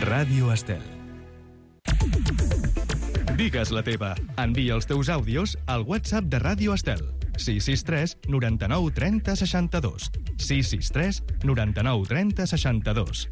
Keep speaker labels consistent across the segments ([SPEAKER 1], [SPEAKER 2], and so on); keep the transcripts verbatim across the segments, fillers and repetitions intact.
[SPEAKER 1] Ràdio Estel. Digues la teva. Envia els teus àudios al WhatsApp de Ràdio Estel. sis sis tres noranta-nou trenta seixanta-dos. sis sis tres noranta-nou trenta seixanta-dos.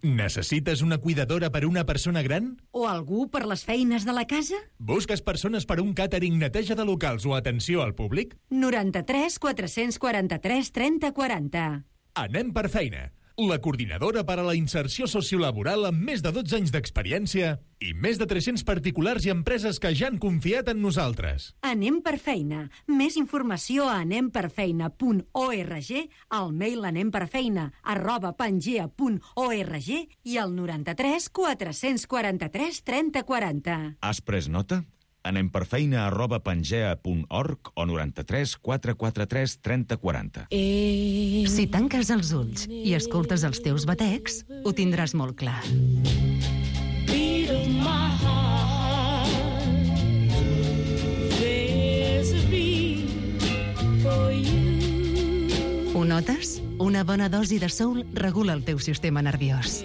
[SPEAKER 2] Necessites una cuidadora per una persona gran?
[SPEAKER 3] O algú per les feines de la casa?
[SPEAKER 2] Busques persones per un càtering, neteja de locals o atenció al públic?
[SPEAKER 3] noranta-tres quatre-cents quaranta-tres trenta quaranta.
[SPEAKER 2] Anem per feina. La coordinadora per a la inserció sociolaboral amb més de dotze anys d'experiència i més de tres-cents particulars i empreses que ja han confiat en nosaltres.
[SPEAKER 3] Anem per feina. Més informació a anem per feina punt org, al mail anemperfeina arroba pangea punt org i al noranta-tres quatre-cents quaranta-tres trenta quaranta.
[SPEAKER 4] Has pres nota? Anem per feina arroba pangea punt org o noranta-tres quatre quaranta-tres trenta quaranta.
[SPEAKER 3] Si tanques els ulls i escoltes els teus batecs, ho tindràs molt clar. Ho notes? Una bona dosi de soul regula el teu sistema nerviós.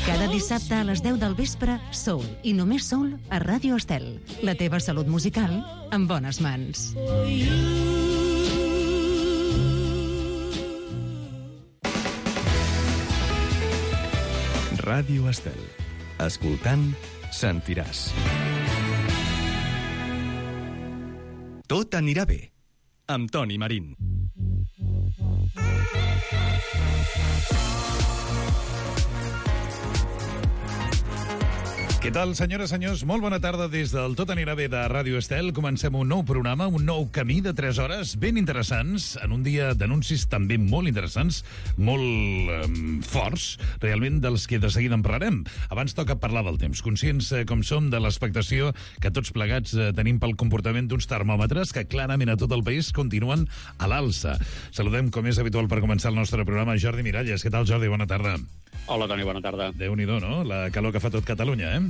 [SPEAKER 3] Cada dissabte a les deu del vespre, Soul, i només Soul, a Ràdio Estel. La teva salut musical en bones mans.
[SPEAKER 1] Ràdio Estel. Escoltant, sentiràs. Tot anirà bé. Amb Toni Marín.
[SPEAKER 5] Què tal, senyores, senyors? Molt bona tarda des del Tot anirà bé de Ràdio Estel. Comencem un nou programa, un nou camí de tres hores ben interessants, en un dia d'anuncis també molt interessants, molt eh, forts, realment dels que de seguida en parlarem. Abans toca parlar del temps, conscients eh, com som de l'expectació que tots plegats eh, tenim pel comportament d'uns termòmetres que clarament a tot el país continuen a l'alça. Saludem, com és habitual per començar el nostre programa, Jordi Miralles. Què tal, Jordi? Bona tarda.
[SPEAKER 6] Hola, Toni, bona tarda.
[SPEAKER 5] Déu-n'hi-do, no? La calor que fa tot Catalunya, eh?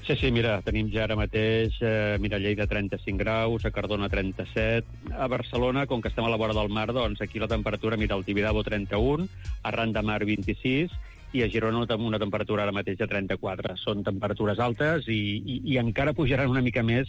[SPEAKER 6] Sí, sí, mira, tenim ja ara mateix, eh, mira, Lleida trenta-cinc graus, a Cardona trenta-set, a Barcelona, com que estem a la vora del mar, doncs aquí la temperatura, mira, al Tibidabo trenta-un, a Ran de Mar vint-i-sis, i a Girona amb una temperatura ara mateix de trenta-quatre. Són temperatures altes i, i, i encara pujaran una mica més,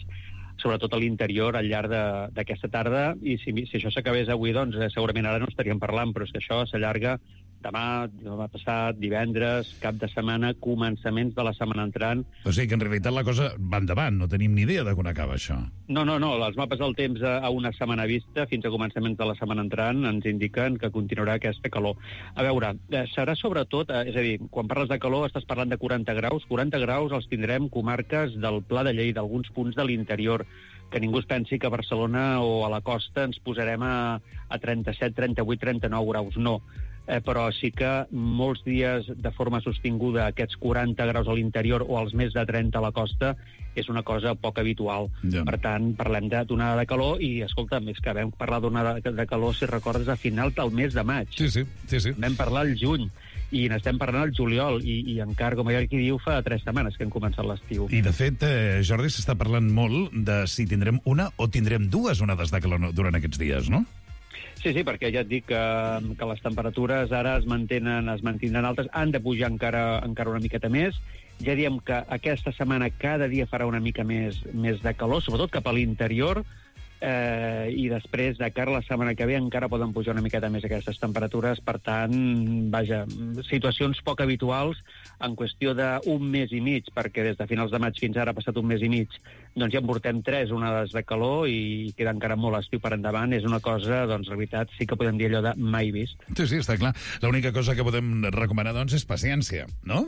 [SPEAKER 6] sobretot a l'interior, al llarg d'aquesta tarda, i si, si això s'acabés avui, doncs eh, segurament ara no estaríem parlant, però és que això s'allarga demà, demà passat, divendres, cap de setmana, començaments de la setmana entrant.
[SPEAKER 5] O sigui que en realitat la cosa va endavant, no tenim ni idea de quan acaba això.
[SPEAKER 6] No, no, no, els mapes del temps a, a una setmana vista, fins a començaments de la setmana entrant, ens indiquen que continuarà aquesta calor. A veure, eh, serà sobretot, eh, és a dir, quan parles de calor estàs parlant de quaranta graus, quaranta graus els tindrem comarques del Pla de Lleida, d'alguns punts de l'interior, que ningú es pensi que a Barcelona o a la costa ens posarem a, a trenta-set, trenta-vuit, trenta-nou graus, no. Eh, però sí que molts dies de forma sostinguda aquests quaranta graus a l'interior o els més de trenta a la costa és una cosa poc habitual.
[SPEAKER 5] Ja.
[SPEAKER 6] Per tant, parlem d'onada de calor i, escolta, més que vam parlar d'onada de calor, si recordes, a final del mes de maig.
[SPEAKER 5] Sí, sí, sí, sí.
[SPEAKER 6] Vam parlar al juny i n'estem parlant al juliol i, i encara, com hi ha qui diu, fa tres setmanes que hem començat l'estiu.
[SPEAKER 5] I, de fet, eh, Jordi, s'està parlant molt de si tindrem una o tindrem dues onades de calor durant aquests dies, no?
[SPEAKER 6] Sí, sí, perquè ja et dic que, que les temperatures ara es mantenen, es mantindran altes, han de pujar encara, encara una miqueta més. Ja diem que aquesta setmana cada dia farà una mica més, més de calor, sobretot cap a l'interior, eh, i després de cara a la setmana que ve encara poden pujar una miqueta més aquestes temperatures. Per tant, vaja, situacions poc habituals en qüestió d'un mes i mig, perquè des de finals de maig fins ara ha passat un mes i mig, doncs ja en portem tres onades de calor i queda encara molt estiu per endavant. És una cosa, doncs, la veritat, sí que podem dir allò de mai vist.
[SPEAKER 5] Sí, sí, està clar. L'única cosa que podem recomanar, doncs, és paciència, no?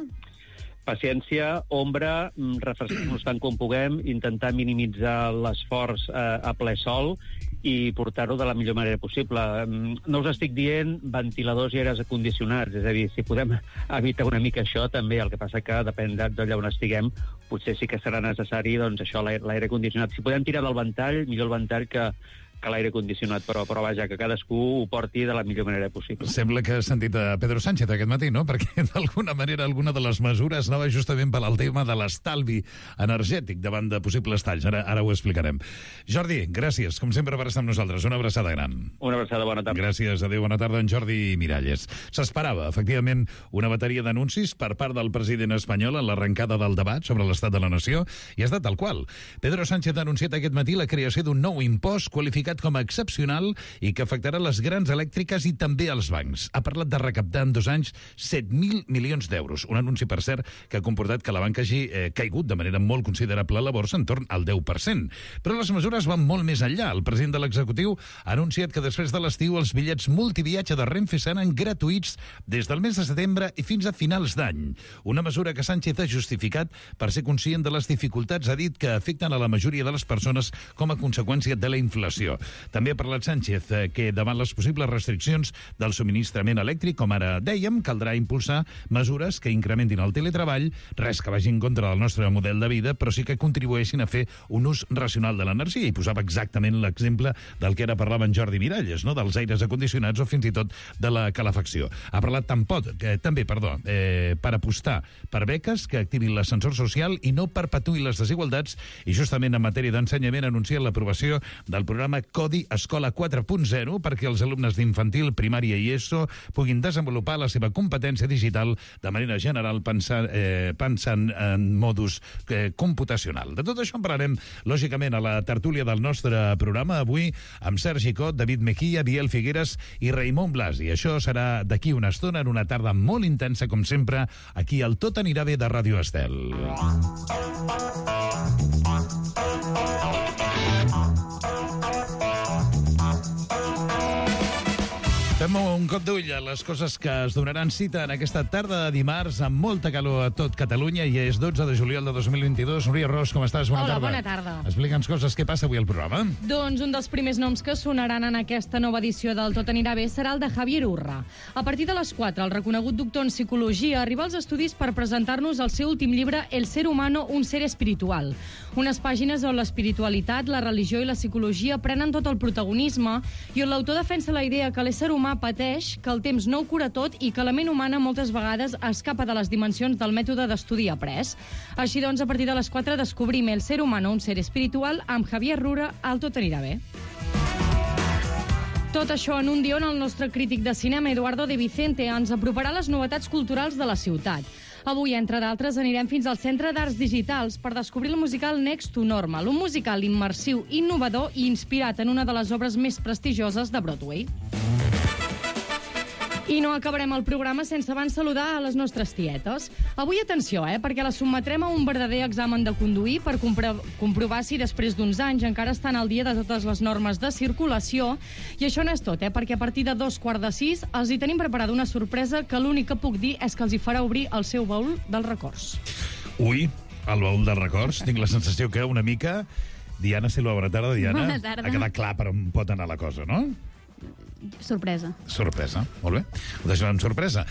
[SPEAKER 6] Paciència, ombra, refrescar-nos tant com puguem, intentar minimitzar l'esforç eh, a ple sol i portar-ho de la millor manera possible. No us estic dient ventiladors i aires acondicionats, és a dir, si podem evitar una mica això, també. El que passa que, depèn d'allà on estiguem, potser sí que serà necessari, doncs, això, l'aire condicionat. Si podem tirar del ventall, millor el ventall que, que l'aire condicionat, però, però vaja, que cadascú ho porti de la millor manera possible.
[SPEAKER 5] Sembla que has sentit a Pedro Sánchez aquest matí, no? Perquè d'alguna manera alguna de les mesures anava justament per al tema de l'estalvi energètic davant de possibles talls. Ara, ara ho explicarem. Jordi, gràcies, com sempre, per estar amb nosaltres. Una abraçada gran.
[SPEAKER 6] Una abraçada, bona tarda.
[SPEAKER 5] Gràcies, adéu, bona tarda, en Jordi Miralles. S'esperava, efectivament, una bateria d'anuncis per part del president espanyol en l'arrencada del debat sobre l'estat de la nació, i ha estat tal qual. Pedro Sánchez ha anunciat aquest matí la creació d'un nou impost qualificat com a excepcional i que afectarà les grans elèctriques i també els bancs. Ha parlat de recaptar en dos anys set mil milions d'euros. Un anunci, per cert, que ha comportat que la banca hagi eh, caigut de manera molt considerable a la borsa, en torn al deu per cent. Però les mesures van molt més enllà. El president de l'executiu ha anunciat que després de l'estiu els bitllets multiviatge de Renfe seran gratuïts des del mes de setembre i fins a finals d'any. Una mesura que Sánchez ha justificat per ser conscient de les dificultats, ha dit, que afecten a la majoria de les persones com a conseqüència de la inflació. També ha parlat Sánchez eh, que davant les possibles restriccions del subministrament elèctric, com ara dèiem, caldrà impulsar mesures que incrementin el teletreball, res que vagi en contra del nostre model de vida, però sí que contribueixin a fer un ús racional de l'energia. I posava exactament l'exemple del que ara parlava en Jordi Miralles, no? Dels aires acondicionats o fins i tot de la calefacció. Ha parlat tampoc, eh, també, perdó, eh, per apostar per beques que activin l'ascensor social i no perpetuïn les desigualtats, i justament en matèria d'ensenyament ha anunciat l'aprovació del programa Codi Escola quatre punt zero perquè els alumnes d'infantil, primària i ESO puguin desenvolupar la seva competència digital de manera general pensant, eh, pensant en modus eh, computacional. De tot això en parlarem, lògicament, a la tertúlia del nostre programa, avui amb Sergi Cot, David Mejía, Biel Figueres i Raimon Blasi. Això serà d'aquí una estona, en una tarda molt intensa, com sempre, aquí al Tot anirà bé de Ràdio Estel. Fem un cop d'ull a les coses que es donaran cita en aquesta tarda de dimarts amb molta calor a tot Catalunya, i és dotze de juliol de dos mil vint-i-dos. Núria Ros, com estàs? Bona
[SPEAKER 7] Hola,
[SPEAKER 5] tarda.
[SPEAKER 7] bona tarda.
[SPEAKER 5] Explica'ns coses. Què passa avui al programa?
[SPEAKER 7] Doncs un dels primers noms que sonaran en aquesta nova edició del Tot anirà bé serà el de Javier Urra. A partir de les quatre, el reconegut doctor en psicologia arriba als estudis per presentar-nos el seu últim llibre El ser humano, un ser espiritual. Unes pàgines on l'espiritualitat, la religió i la psicologia prenen tot el protagonisme i on l'autor defensa la idea que l'ésser humà pateix, que el temps no ho cura tot i que la ment humana moltes vegades escapa de les dimensions del mètode d'estudi après. Així doncs, a partir de les quatre descobrim El ser humano, un ser espiritual amb Javier Urra al Tot anirà bé. Tot això en un dia on el nostre crític de cinema, Eduardo de Vicente, ens aproparà les novetats culturals de la ciutat. Avui, entre d'altres, anirem fins al Centre d'Arts Digitals per descobrir el musical Next to Normal, un musical immersiu, innovador i inspirat en una de les obres més prestigioses de Broadway. I no acabarem el programa sense abans saludar a les nostres tietes. Avui, atenció, eh, perquè la sotmetrem a un verdader examen de conduir per compro comprovar si després d'uns anys encara estan al dia de totes les normes de circulació. I això no és tot, eh, perquè a partir de dos quarts de sis els hi tenim preparada una sorpresa que l'únic que puc dir és que els hi farà obrir el seu baúl dels records.
[SPEAKER 5] Ui, el baúl dels records. Tinc la sensació que una mica... Diana Silva, bona tarda, Diana.
[SPEAKER 8] Bona tarda.
[SPEAKER 5] Ha quedat clar per on pot anar la cosa, no?
[SPEAKER 8] Sorpresa.
[SPEAKER 5] Sorpresa, molt bé. Ho deixem amb sorpresa.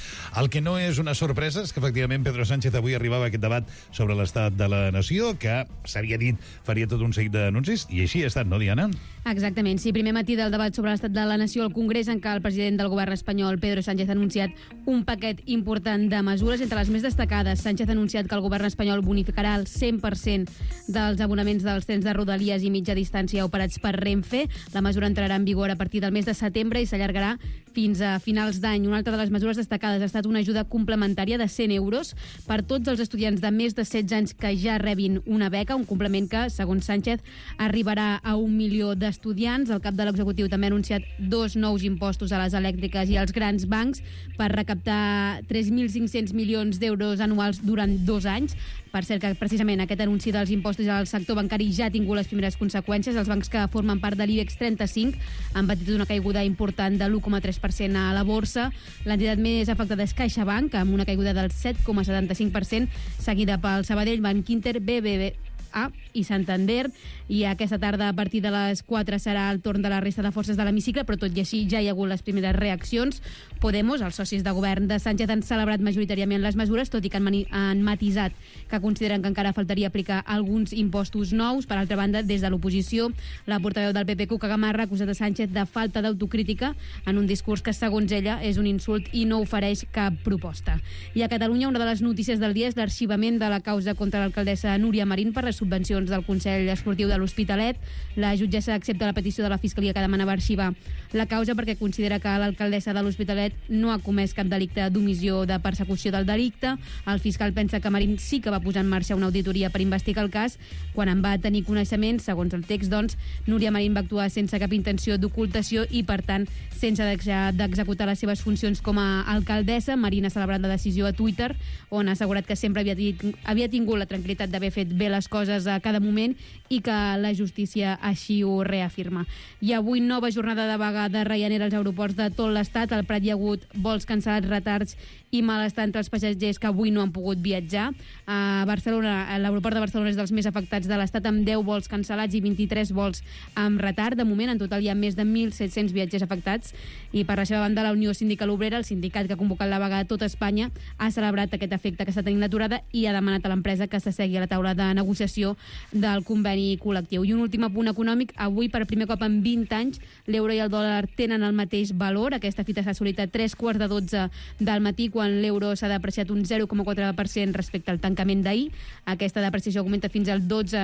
[SPEAKER 5] El que no és una sorpresa és que, efectivament, Pedro Sánchez avui arribava a aquest debat sobre l'estat de la nació, que s'havia dit faria tot un seguit d'anuncis, i així ha estat, no, Diana?
[SPEAKER 8] Exactament, sí. Primer matí del debat sobre l'estat de la nació al Congrés, en què el president del govern espanyol, Pedro Sánchez, ha anunciat un paquet important de mesures. Entre les més destacades, Sánchez ha anunciat que el govern espanyol bonificarà el cent per cent dels abonaments dels trens de Rodalies i mitja distància operats per Renfe. La mesura entrarà en vigor a partir del mes de setembre i s'allargarà fins a finals d'any. Una altra de les mesures destacades ha estat una ajuda complementària de cent euros per tots els estudiants de més de setze anys que ja rebin una beca, un complement que, segons Sánchez, arribarà a un milió d'estudiants. El cap de l'executiu també ha anunciat dos nous impostos a les elèctriques i als grans bancs per recaptar tres mil cinc-cents milions d'euros anuals durant dos anys. Per cert, que precisament aquest anunci dels impostos al sector bancari ja ha tingut les primeres conseqüències. Els bancs que formen part de l'IBEX trenta-cinc han patit una caiguda important de l'u coma tres per cent a la borsa. L'entitat més afectada és CaixaBank, amb una caiguda del set coma setanta-cinc per cent, seguida pel Sabadell, Bankinter, B B V A i Santander, i aquesta tarda a partir de les quatre serà el torn de la resta de forces de l'hemicicle, però tot i així ja hi ha hagut les primeres reaccions. Podemos, els socis de govern de Sánchez, han celebrat majoritàriament les mesures, tot i que han, mani- han matisat que consideren que encara faltaria aplicar alguns impostos nous. Per altra banda, des de l'oposició, la portaveu del P P, Cuca Gamarra, ha acusat a Sánchez de falta d'autocrítica en un discurs que, segons ella, és un insult i no ofereix cap proposta. I a Catalunya, una de les notícies del dia és l'arxivament de la causa contra l'alcaldessa Núria Marín per les subvencions del Consell Esportiu de l'Hospitalet. La jutgessa accepta la petició de la Fiscalia que demanava arxivar la causa perquè considera que l'alcaldessa de l'Hospitalet no ha comès cap delicte d'omissió de persecució del delicte. El fiscal pensa que Marín sí que va posar en marxa una auditoria per investigar el cas. Quan en va tenir coneixement, segons el text, doncs, Núria Marín va actuar sense cap intenció d'ocultació i, per tant, sense deixar d'executar les seves funcions com a alcaldessa. Marín ha celebrat la decisió a Twitter, on ha assegurat que sempre havia, havia tingut la tranquil·litat d'haver fet bé les coses a cada moment i que la justícia així ho reafirma. I avui nova jornada de vaga de Ryanair als aeroports de tot l'estat. Al Prat hi ha hagut vols cancel·lats, retards i malestar entre els passatgers que avui no han pogut viatjar. A Barcelona, l'aeroport de Barcelona és dels més afectats de l'estat, amb deu vols cancel·lats i vint-i-tres vols amb retard. De moment, en total hi ha més de mil set-cents viatgers afectats. I per la seva banda, la Unió Sindical Obrera, el sindicat que ha convocat la vaga a tota Espanya, ha celebrat aquest efecte que està tenint l'aturada i ha demanat a l'empresa que s'assegui a la taula de negociació del conveni col·lectiu. I un últim apunt econòmic. Avui, per primer cop en vint anys, l'euro i el dòlar tenen el mateix valor. Aquesta fita s'ha assolit a tres quarts de dotze del matí, quan l'euro s'ha depreciat un zero coma quatre per cent respecte al tancament d'ahir. Aquesta depreciació augmenta fins al dotze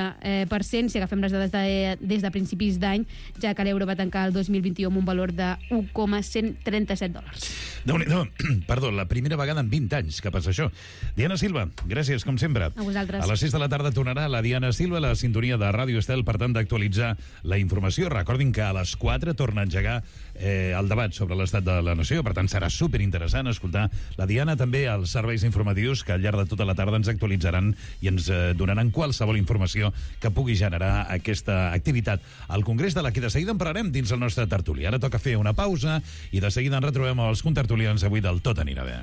[SPEAKER 8] per cent si agafem les dades de, des de principis d'any, ja que l'euro va tancar el dos mil vint-i-u amb un valor de un coma cent trenta-set dòlars.
[SPEAKER 5] Déu-n'hi-do. Perdó, la primera vegada en vint anys que passa això. Diana Silva, gràcies, com sempre.
[SPEAKER 8] A vosaltres.
[SPEAKER 5] A les sis de la tarda tornarà la Diana Silva, la sintonia de Ràdio Estel, per tant, d'actualitzar la informació. Recordin que a les quatre torna a engegar eh, el debat sobre l'estat de la nació, per tant, serà superinteressant escoltar la Diana, també als serveis informatius que al llarg de tota la tarda ens actualitzaran i ens eh, donaran qualsevol informació que pugui generar aquesta activitat al Congrés, de la que de seguida en parlarem dins el nostre tertuli. Ara toca fer una pausa i de seguida ens retrobem els contertulians avui del Tot anirà bé.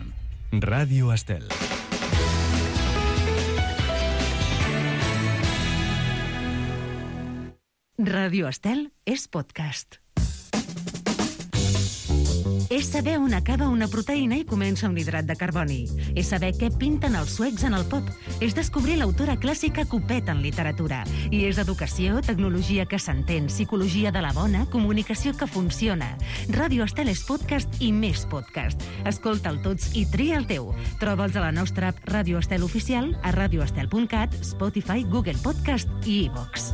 [SPEAKER 1] Ràdio Estel.
[SPEAKER 3] Ràdio Estel és podcast. És saber on acaba una proteïna i comença un hidrat de carboni. És saber què pinten els suecs en el pop. És descobrir l'autora clàssica que ho peta en literatura. I és educació, tecnologia que s'entén, psicologia de la bona, comunicació que funciona. Ràdio Estel és podcast i més podcast. Escolta'l tots i tria el teu. Troba'ls a la nostra app Ràdio Estel Oficial, a radioestel punt cat, Spotify, Google Podcast i iVox.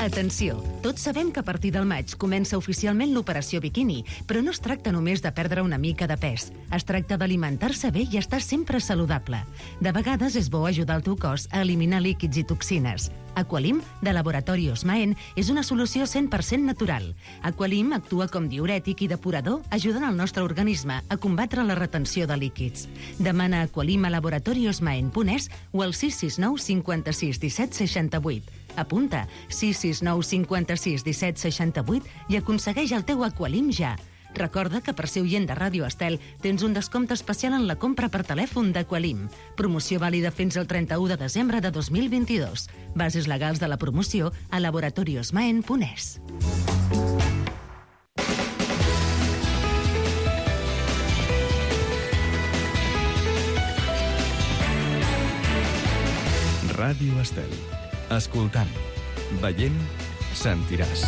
[SPEAKER 3] Atenció, tots sabem que a partir del maig comença oficialment l'operació biquini, però no es tracta només de perdre una mica de pes. Es tracta d'alimentar-se bé i estar sempre saludable. De vegades és bo ajudar el teu cos a eliminar líquids i toxines. Aqualim, de Laboratori Osmaen, és una solució cent per cent natural. Aqualim actua com diürètic i depurador, ajudant el nostre organisme a combatre la retenció de líquids. Demana Aqualim a laboratori osmaen punt es o al sis sis nou cinquanta-sis disset seixanta-vuit. Apunta sis sis nou cinquanta-sis disset seixanta-vuit i aconsegueix el teu Aqualim ja. Recorda que per ser oient de Ràdio Estel tens un descompte especial en la compra per telèfon d'Aqualim. Promoció vàlida fins al trenta-u de desembre de dos mil vint-i-dos. Bases legals de la promoció a laboratori osmaen punt es.
[SPEAKER 1] Ràdio Estel. Escoltant, veient, sentiràs.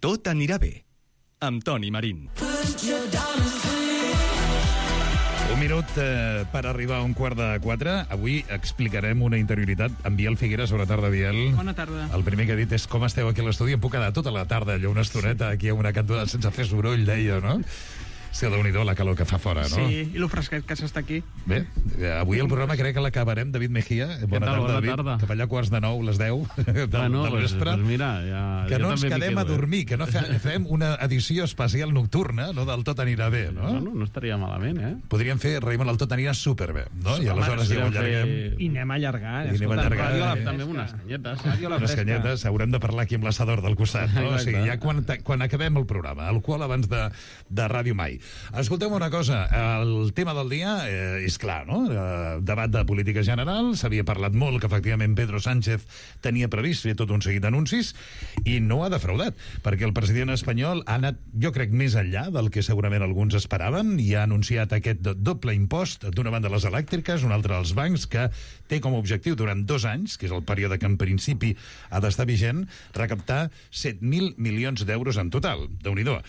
[SPEAKER 1] Tot anirà bé, amb Toni Marín.
[SPEAKER 5] Un minut eh, per arribar a un quart de quatre. Avui explicarem una interioritat amb Biel Figueres. Bona tarda, Biel.
[SPEAKER 9] Bona tarda.
[SPEAKER 5] El primer que he dit és com esteu aquí a l'estudi. Em puc quedar tota la tarda, allò una estoneta aquí a una cantonada sense fer soroll, deia, no? Sí, déu-n'hi-do la calor que fa fora, no?
[SPEAKER 9] Sí, i lo fresquet que s'està aquí.
[SPEAKER 5] Bé, avui el programa crec que l'acabarem. David Mejía, bona
[SPEAKER 10] tal?
[SPEAKER 5] tarda,
[SPEAKER 10] Bona
[SPEAKER 5] David.
[SPEAKER 10] tarda.
[SPEAKER 5] Cap allà quarts de nou, les deu del,
[SPEAKER 10] Bueno,
[SPEAKER 5] del
[SPEAKER 10] pues,
[SPEAKER 5] vespre.
[SPEAKER 10] pues mira, ja,
[SPEAKER 5] que
[SPEAKER 10] jo
[SPEAKER 5] no ens
[SPEAKER 10] també m'hi
[SPEAKER 5] quedem
[SPEAKER 10] quedo,
[SPEAKER 5] a dormir, que no fe, fem una edició especial nocturna, no del Tot anirà bé, no?
[SPEAKER 10] Bueno, no estaria malament, eh?
[SPEAKER 5] Podríem fer, Raimon, el Tot anirà superbé, no? I
[SPEAKER 10] Home,
[SPEAKER 5] aleshores ja ho
[SPEAKER 10] podríem
[SPEAKER 5] allarguem.
[SPEAKER 10] fer-
[SPEAKER 9] I anem a allargar.
[SPEAKER 5] I anem a allargar,
[SPEAKER 9] Ràdio a la
[SPEAKER 5] eh?
[SPEAKER 10] També
[SPEAKER 9] fresca.
[SPEAKER 10] unes canyetes.
[SPEAKER 9] Ràdio a la
[SPEAKER 5] Les
[SPEAKER 9] fresca.
[SPEAKER 5] canyetes, haurem de parlar aquí amb l'assador del costat, no? O sigui,
[SPEAKER 10] Exacte.
[SPEAKER 5] ja quan, quan acabem el programa, alcohol abans de, de Ràdio Mai. Escolteu una cosa, el tema del dia eh, és clar, no? Eh, debat de política general, s'havia parlat molt que efectivament Pedro Sánchez tenia previst fer tot un seguit d'anuncis i no ha defraudat, perquè el president espanyol ha anat, jo crec, més enllà del que segurament alguns esperaven i ha anunciat aquest doble impost, d'una banda les elèctriques, una altra als bancs, que té com a objectiu durant dos anys, que és el període que en principi ha d'estar vigent, recaptar set mil milions d'euros en total. Déu-n'hi-do.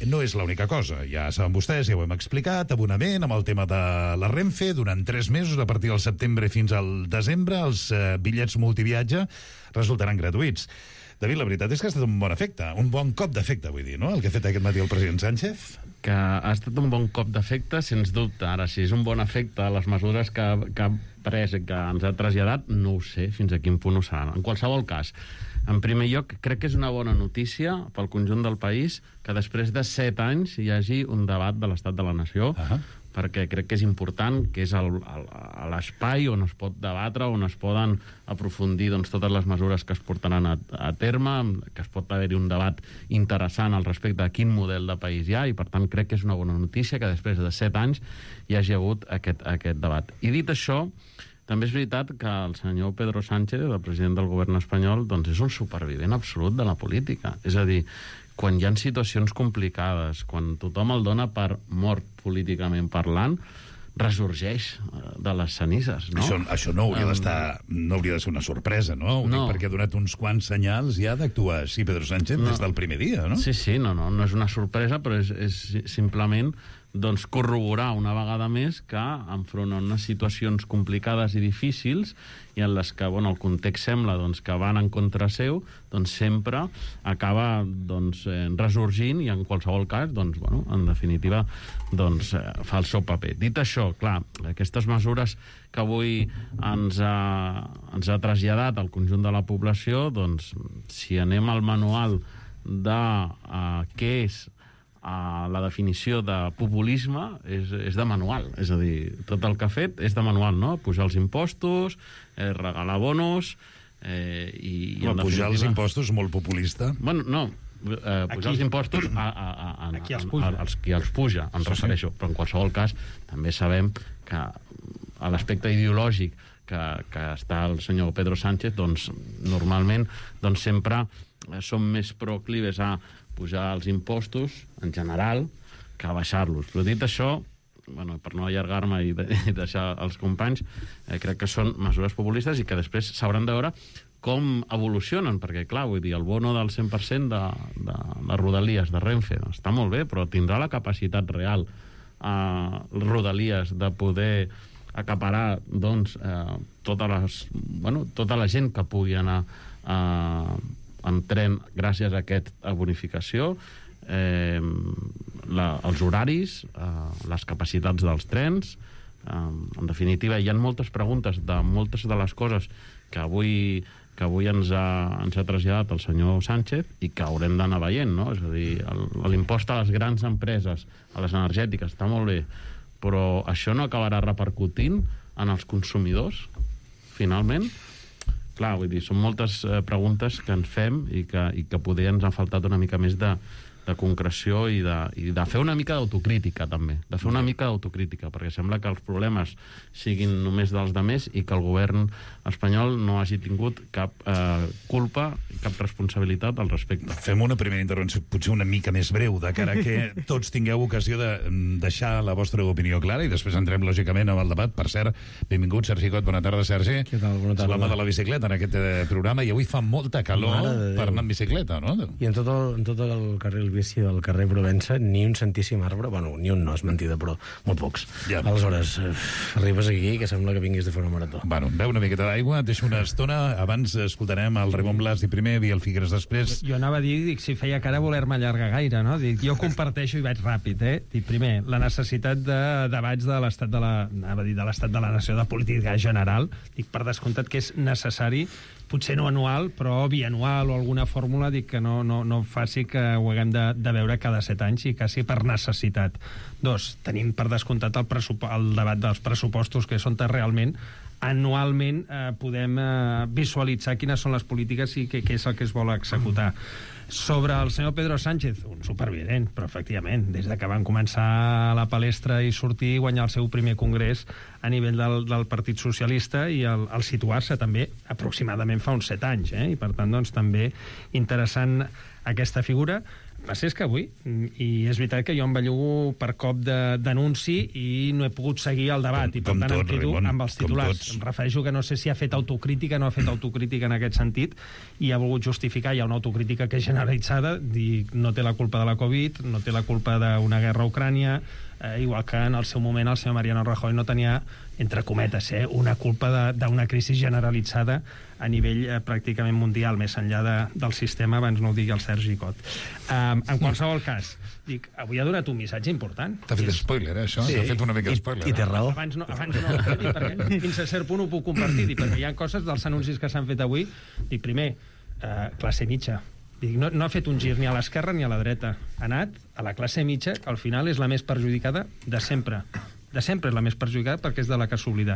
[SPEAKER 5] No és l'única cosa. Ja saben vostès, ja ho hem explicat, abonament amb el tema de la Renfe, durant tres mesos, a partir del setembre fins al desembre, els eh, bitllets multiviatge resultaran gratuïts. David, la veritat és que ha estat un bon efecte, un bon cop d'efecte, vull dir, no?, el que ha fet aquest matí el president Sánchez.
[SPEAKER 10] Que ha estat un bon cop d'efecte, sens dubte. Ara, si és un bon efecte, les mesures que, que ha pres i que ens ha traslladat, no ho sé fins a quin punt ho seran. En qualsevol cas, en primer lloc, crec que és una bona notícia pel conjunt del país que després de set anys hi hagi un debat de l'estat de la nació, uh-huh. perquè crec que és important, que és el- el- l'espai on es pot debatre, on es poden aprofundir doncs, totes les mesures que es portaran a, a terme, que es pot haver-hi un debat interessant al respecte de quin model de país hi ha, i per tant crec que és una bona notícia que després de set anys hi hagi hagut aquest, aquest debat. I dit això, també és veritat que el senyor Pedro Sánchez, el president del govern espanyol, doncs és un supervivent absolut de la política. És a dir, quan hi ha situacions complicades, quan tothom el dona per mort políticament parlant, ressorgeix eh, de les cenises, no?
[SPEAKER 5] Això, això no hauria
[SPEAKER 10] Um,
[SPEAKER 5] d'estar, no hauria de ser una sorpresa, no? Ho
[SPEAKER 10] No.
[SPEAKER 5] dic perquè ha donat uns quants senyals ja d'actuar així Pedro Sánchez
[SPEAKER 10] No.
[SPEAKER 5] des del primer dia, no?
[SPEAKER 10] Sí, sí, no, no, no és una sorpresa, però és, és simplement doncs, corroborar una vegada més que enfront a unes situacions complicades i difícils i en les que bueno, el context sembla doncs, que van en contra seu, doncs sempre acaba doncs, eh, ressorgint i en qualsevol cas, doncs, bueno, en definitiva, doncs, eh, fa el seu paper. Dit això, clar, aquestes mesures que avui ens ha, ens ha traslladat al conjunt de la població, doncs, si anem al manual de uh, què és Uh, la definició de populisme és, és de manual, és a dir, tot el que ha fet és de manual, no? Pujar els impostos, eh, regalar bonos eh, i, i
[SPEAKER 5] Home,
[SPEAKER 10] en
[SPEAKER 5] pujar els
[SPEAKER 10] definitiva-
[SPEAKER 5] impostos molt populista.
[SPEAKER 10] Bueno, no, eh, pujar
[SPEAKER 9] Aquí.
[SPEAKER 10] els impostos a, a, a, a,
[SPEAKER 9] A qui els
[SPEAKER 10] a-
[SPEAKER 9] puja.
[SPEAKER 10] a- als qui els puja, em
[SPEAKER 5] Sí,
[SPEAKER 10] refereixo, però en qualsevol cas també sabem que a l'aspecte ideològic que, que està el senyor Pedro Sánchez, doncs normalment doncs sempre eh, som més proclives a pujar els impostos en general que a baixar-los. Però dit això, bueno, per no allargar-me i, de, i deixar els companys, eh, crec que són mesures populistes i que després s'hauran de veure com evolucionen, perquè, clar, vull dir, el bono del cent per cent de, de les Rodalies, de Renfe, doncs, està molt bé, però tindrà la capacitat real a eh, Rodalies de poder acaparar, doncs, eh, totes les, bueno, tota la gent que pugui anar eh, en tren gràcies a aquesta bonificació, eh, la, els horaris, eh, les capacitats dels trens. Eh, en definitiva, hi ha moltes preguntes de moltes de les coses que avui, que avui ens, ha, ens ha traslladat el senyor Sánchez i que haurem d'anar veient, no? És a dir, el- l'impost a les grans empreses, a les energètiques, està molt bé, però això no acabarà repercutint en els consumidors, finalment? Clar, vull dir, són moltes eh, preguntes que ens fem i que, i que poder ens ha faltat una mica més de, de concreció i de, i de fer una mica d'autocrítica, també. De fer una mica d'autocrítica, perquè sembla que els problemes siguin només dels demés i que el govern espanyol no hagi tingut cap eh, culpa, cap responsabilitat al respecte.
[SPEAKER 5] Fem una primera intervenció, potser una mica més breu, de cara a que tots tingueu ocasió de mm, deixar la vostra opinió clara i després entrem, lògicament, amb el debat. Per cert, benvingut, Sergi Cot. Bona tarda, Sergi.
[SPEAKER 11] Què tal? Bona tarda.
[SPEAKER 5] L'home de la bicicleta en aquest eh, programa, i avui fa molta calor
[SPEAKER 11] Mare de Déu.
[SPEAKER 5] per anar en bicicleta, no?
[SPEAKER 11] I en tot el, en tot el carril justícia del carrer Provença, ni un santíssim arbre, bueno, ni un no, és mentida, però molt pocs.
[SPEAKER 5] Ja.
[SPEAKER 11] Aleshores, eh, arribes aquí que sembla que vinguis de fer una marató.
[SPEAKER 5] Bueno, beu una miqueta d'aigua, et deixo una estona, abans escoltarem el Ramon Blas i primer, Biel Figueres després.
[SPEAKER 9] Jo anava a dir, dic, si feia cara voler-me allargar gaire, no? Dic, jo comparteixo i vaig ràpid, eh? Dic, primer, la necessitat de debats de l'estat de la, anava a dir, de l'estat de la nació, de política general, dic, per descomptat que és necessari, potser no anual, però bianual o alguna fórmula, dic que no, no, no faci que ho haguem de, de veure cada set anys i quasi per necessitat. Dos, tenim per descomptat el, el debat dels pressupostos, que són realment anualment eh, podem eh, visualitzar quines són les polítiques i què, què és el que es vol executar. Sobre el senyor Pedro Sánchez, un supervivent, però efectivament, des de que van començar a la palestra i sortir i guanyar el seu primer congrés a nivell del, del Partit Socialista i el, el situar-se també aproximadament fa uns set anys, eh? I per tant, doncs, també interessant aquesta figura. Va ser que avui, i és veritat que jo em bellugo per cop d'anunci i no he pogut seguir el debat, com, i per tant tot, em quedo Raimon, amb els titulars. Em refereixo que no sé si ha fet autocrítica, no ha fet autocrítica en aquest sentit, i ha volgut justificar, hi ha una autocrítica que és generalitzada, dir no té la culpa de la Covid, no té la culpa d'una guerra a Ucrània, eh, igual que en el seu moment el senyor Mariano Rajoy no tenia, entre cometes, eh, una culpa d'una crisi generalitzada a nivell eh, pràcticament mundial, més enllà de, del sistema, abans no ho digui el Sergi Cot. Um, en qualsevol cas, dic, avui ha donat un missatge important.
[SPEAKER 5] T'ha fet spoiler, eh, això?
[SPEAKER 11] Sí.
[SPEAKER 5] T'ha fet una mica
[SPEAKER 11] I,
[SPEAKER 5] spoiler.
[SPEAKER 11] I té raó.
[SPEAKER 9] Abans no, abans no eh, dic, perquè fins a cert punt ho puc compartir, dic, perquè hi ha coses dels anuncis que s'han fet avui. Dic, primer, eh, classe mitja. Dic, no, no ha fet un gir ni a l'esquerra ni a la dreta. Ha anat a la classe mitja, que al final és la més perjudicada de sempre. De sempre és la més perjudicada perquè és de la que s'oblida.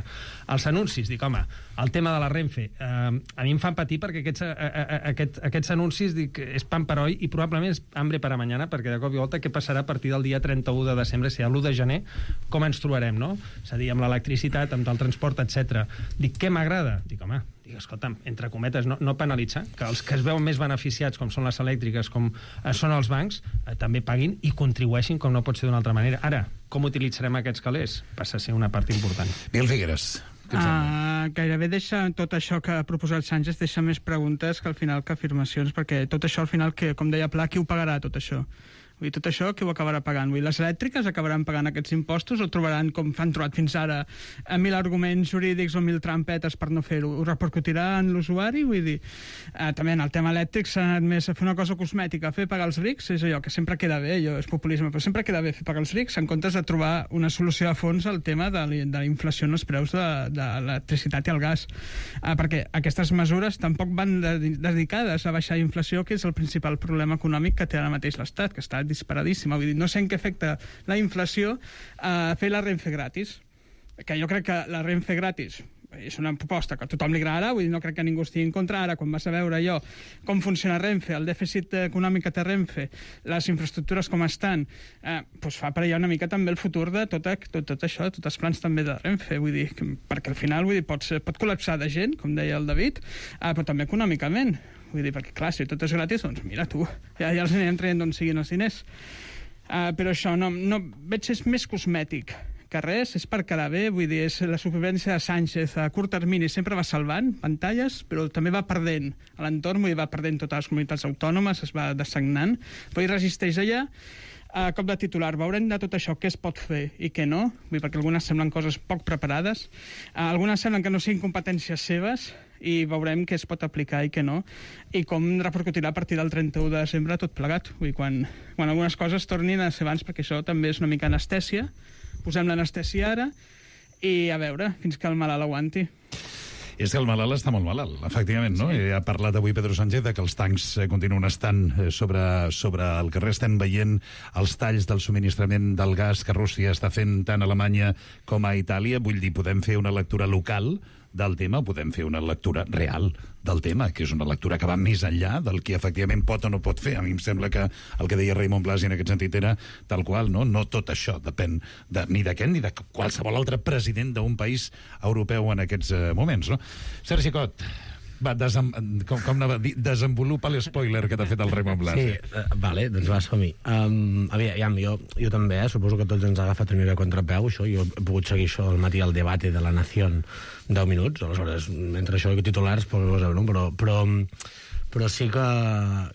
[SPEAKER 9] Els anuncis, dic, home, el tema de la Renfe, eh, a mi em fan patir perquè aquests, a, a, a, aquest, aquests anuncis, dic, és pan per oi i probablement és hambre per a mañana, perquè de cop i volta què passarà a partir del dia trenta-u de desembre, si l'u de gener, com ens trobarem, no? És a dir, amb l'electricitat, amb el transport, etcètera. Dic, què m'agrada? Dic, home, dic, escolta'm, entre cometes, no, no penalitzar, que els que es veuen més beneficiats, com són les elèctriques, com eh, són els bancs, eh, també paguin i contribueixin com no pot ser d'una altra manera. Ara, com utilitzarem aquests calés? Passa a ser una part important.
[SPEAKER 5] Biel Figueres.
[SPEAKER 12] Uh, gairebé deixa tot això que ha proposat Sánchez, deixa més preguntes que al final que afirmacions, perquè tot això al final, que, com deia Pla, qui ho pagarà tot això? Vull dir, tot això qui ho acabarà pagant? Vull dir, les elèctriques acabaran pagant aquests impostos o trobaran, com han trobat fins ara, a mil arguments jurídics o mil trampetes per no fer-ho? Ho repercutirà en l'usuari? Vull dir, eh, també en el tema elèctric s'ha anat més a fer una cosa cosmètica, fer pagar els rics, és allò que sempre queda bé, allò és populisme, però sempre queda bé fer pagar els rics en comptes de trobar una solució a fons al tema de la, de la inflació en els preus de, de l'electricitat i el gas. Eh, perquè aquestes mesures tampoc van de, dedicades a baixar la inflació, que és el principal problema econòmic que té ara mateix l'Estat, que està disparadíssima. Vull dir, no sé en què afecta la inflació a fer la Renfe gratis. Que jo crec que la Renfe gratis és una proposta que a tothom li agradarà, vull dir, no crec que ningú estigui en contra. Ara, quan vas a veure jo com funciona Renfe, el dèficit econòmic que té Renfe, les infraestructures com estan, eh, doncs fa per allà una mica també el futur de tot, tot, tot això, tots els plans també de Renfe, vull dir, que, perquè al final vull dir, pot, ser, pot col·lapsar de gent, com deia el David, eh, però també econòmicament. Vull dir, perquè, clar, si tot és gratis, doncs mira tu, ja, ja els anirem traient d'on siguin els diners. Uh, però això, no, no, veig que és més cosmètic que res, és per quedar bé, vull dir, és la supervivència de Sánchez a curt termini, sempre va salvant pantalles, però també va perdent a l'entorn, vull dir, va perdent totes les comunitats autònomes, es va dessagnant, però hi resisteix allà. A cop de titular, veurem de tot això què es pot fer i què no, vull dir, perquè algunes semblen coses poc preparades, uh, algunes semblen que no siguin competències seves, i veurem què es pot aplicar i què no, i com repercutirà a partir del trenta-u de desembre tot plegat. Vull dir, quan, quan algunes coses tornin a ser abans, perquè això també és una mica anestèsia, posem l'anestèsia ara, i a veure, fins que el malalt aguanti.
[SPEAKER 5] És que el malalt està molt malalt, efectivament, no? Sí. Ha parlat avui Pedro Sánchez de que els tancs continuen estant sobre, sobre el carrer. Estem veient els talls del subministrament del gas que Rússia està fent tant a Alemanya com a Itàlia. Vull dir, podem fer una lectura local del tema, podem fer una lectura real del tema, que és una lectura que va més enllà del que efectivament pot o no pot fer. A mi em sembla que el que deia Ramon Blas en aquest sentit era tal qual, no? No tot això depèn de, ni d'aquest ni de qualsevol altre president d'un país europeu en aquests uh, moments, no? Sergi Cot, va, desem, com, com anava a dir, desenvolupa l'espoiler que t'ha fet el Ramon Blas.
[SPEAKER 11] Sí, uh, vale, doncs va, som-hi. Um, aviam, jo, jo també, eh, suposo que tots ens ha agafat una mica contrapeu, això, jo he pogut seguir això al matí al debat de la Nación deu minuts, aleshores, entre això i titulars, pues, no? però, però, però sí que,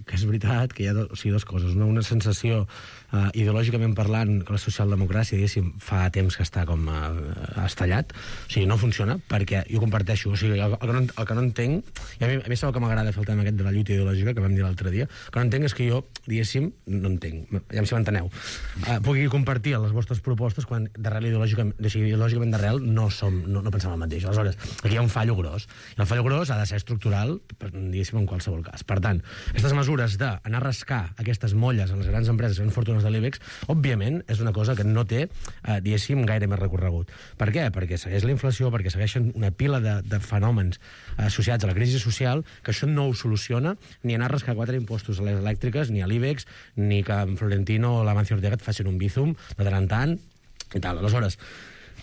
[SPEAKER 11] que és veritat que hi ha do, o sigui, dues coses. Una, una sensació uh, ideològicament parlant que la socialdemocràcia, diguéssim, fa temps que està com uh, estallat. O sigui, no funciona, perquè jo comparteixo. O sigui, el, el, que, no, el que no entenc, i a mi, a mi sembla que m'agrada fer el tema aquest de la lluita ideològica, que vam dir l'altre dia, el que no entenc és que jo, diguéssim, no entenc, ja si m'enteneu, uh, pugui compartir les vostres propostes quan d'arrel ideològicament, o sigui, ideològicament d'arrel no, som, no, no pensem el mateix. Aleshores, aquí hi ha un fallo gros. I el fallo gros ha de ser estructural, diguéssim, en qualsevol cas. Per tant, aquestes mesures d'anar a rascar aquestes molles a les grans empreses, grans fortunes de l'IBEX, òbviament, és una cosa que no té, eh, diguéssim, gaire més recorregut. Per què? Perquè segueix la inflació, perquè segueixen una pila de, de fenòmens associats a la crisi social, que això no ho soluciona ni anar a rascar quatre impostos a les elèctriques, ni a l'IBEX, ni que en Florentino o l'Amancio Ortega et facin un bízum de tant en tant i tal. Aleshores,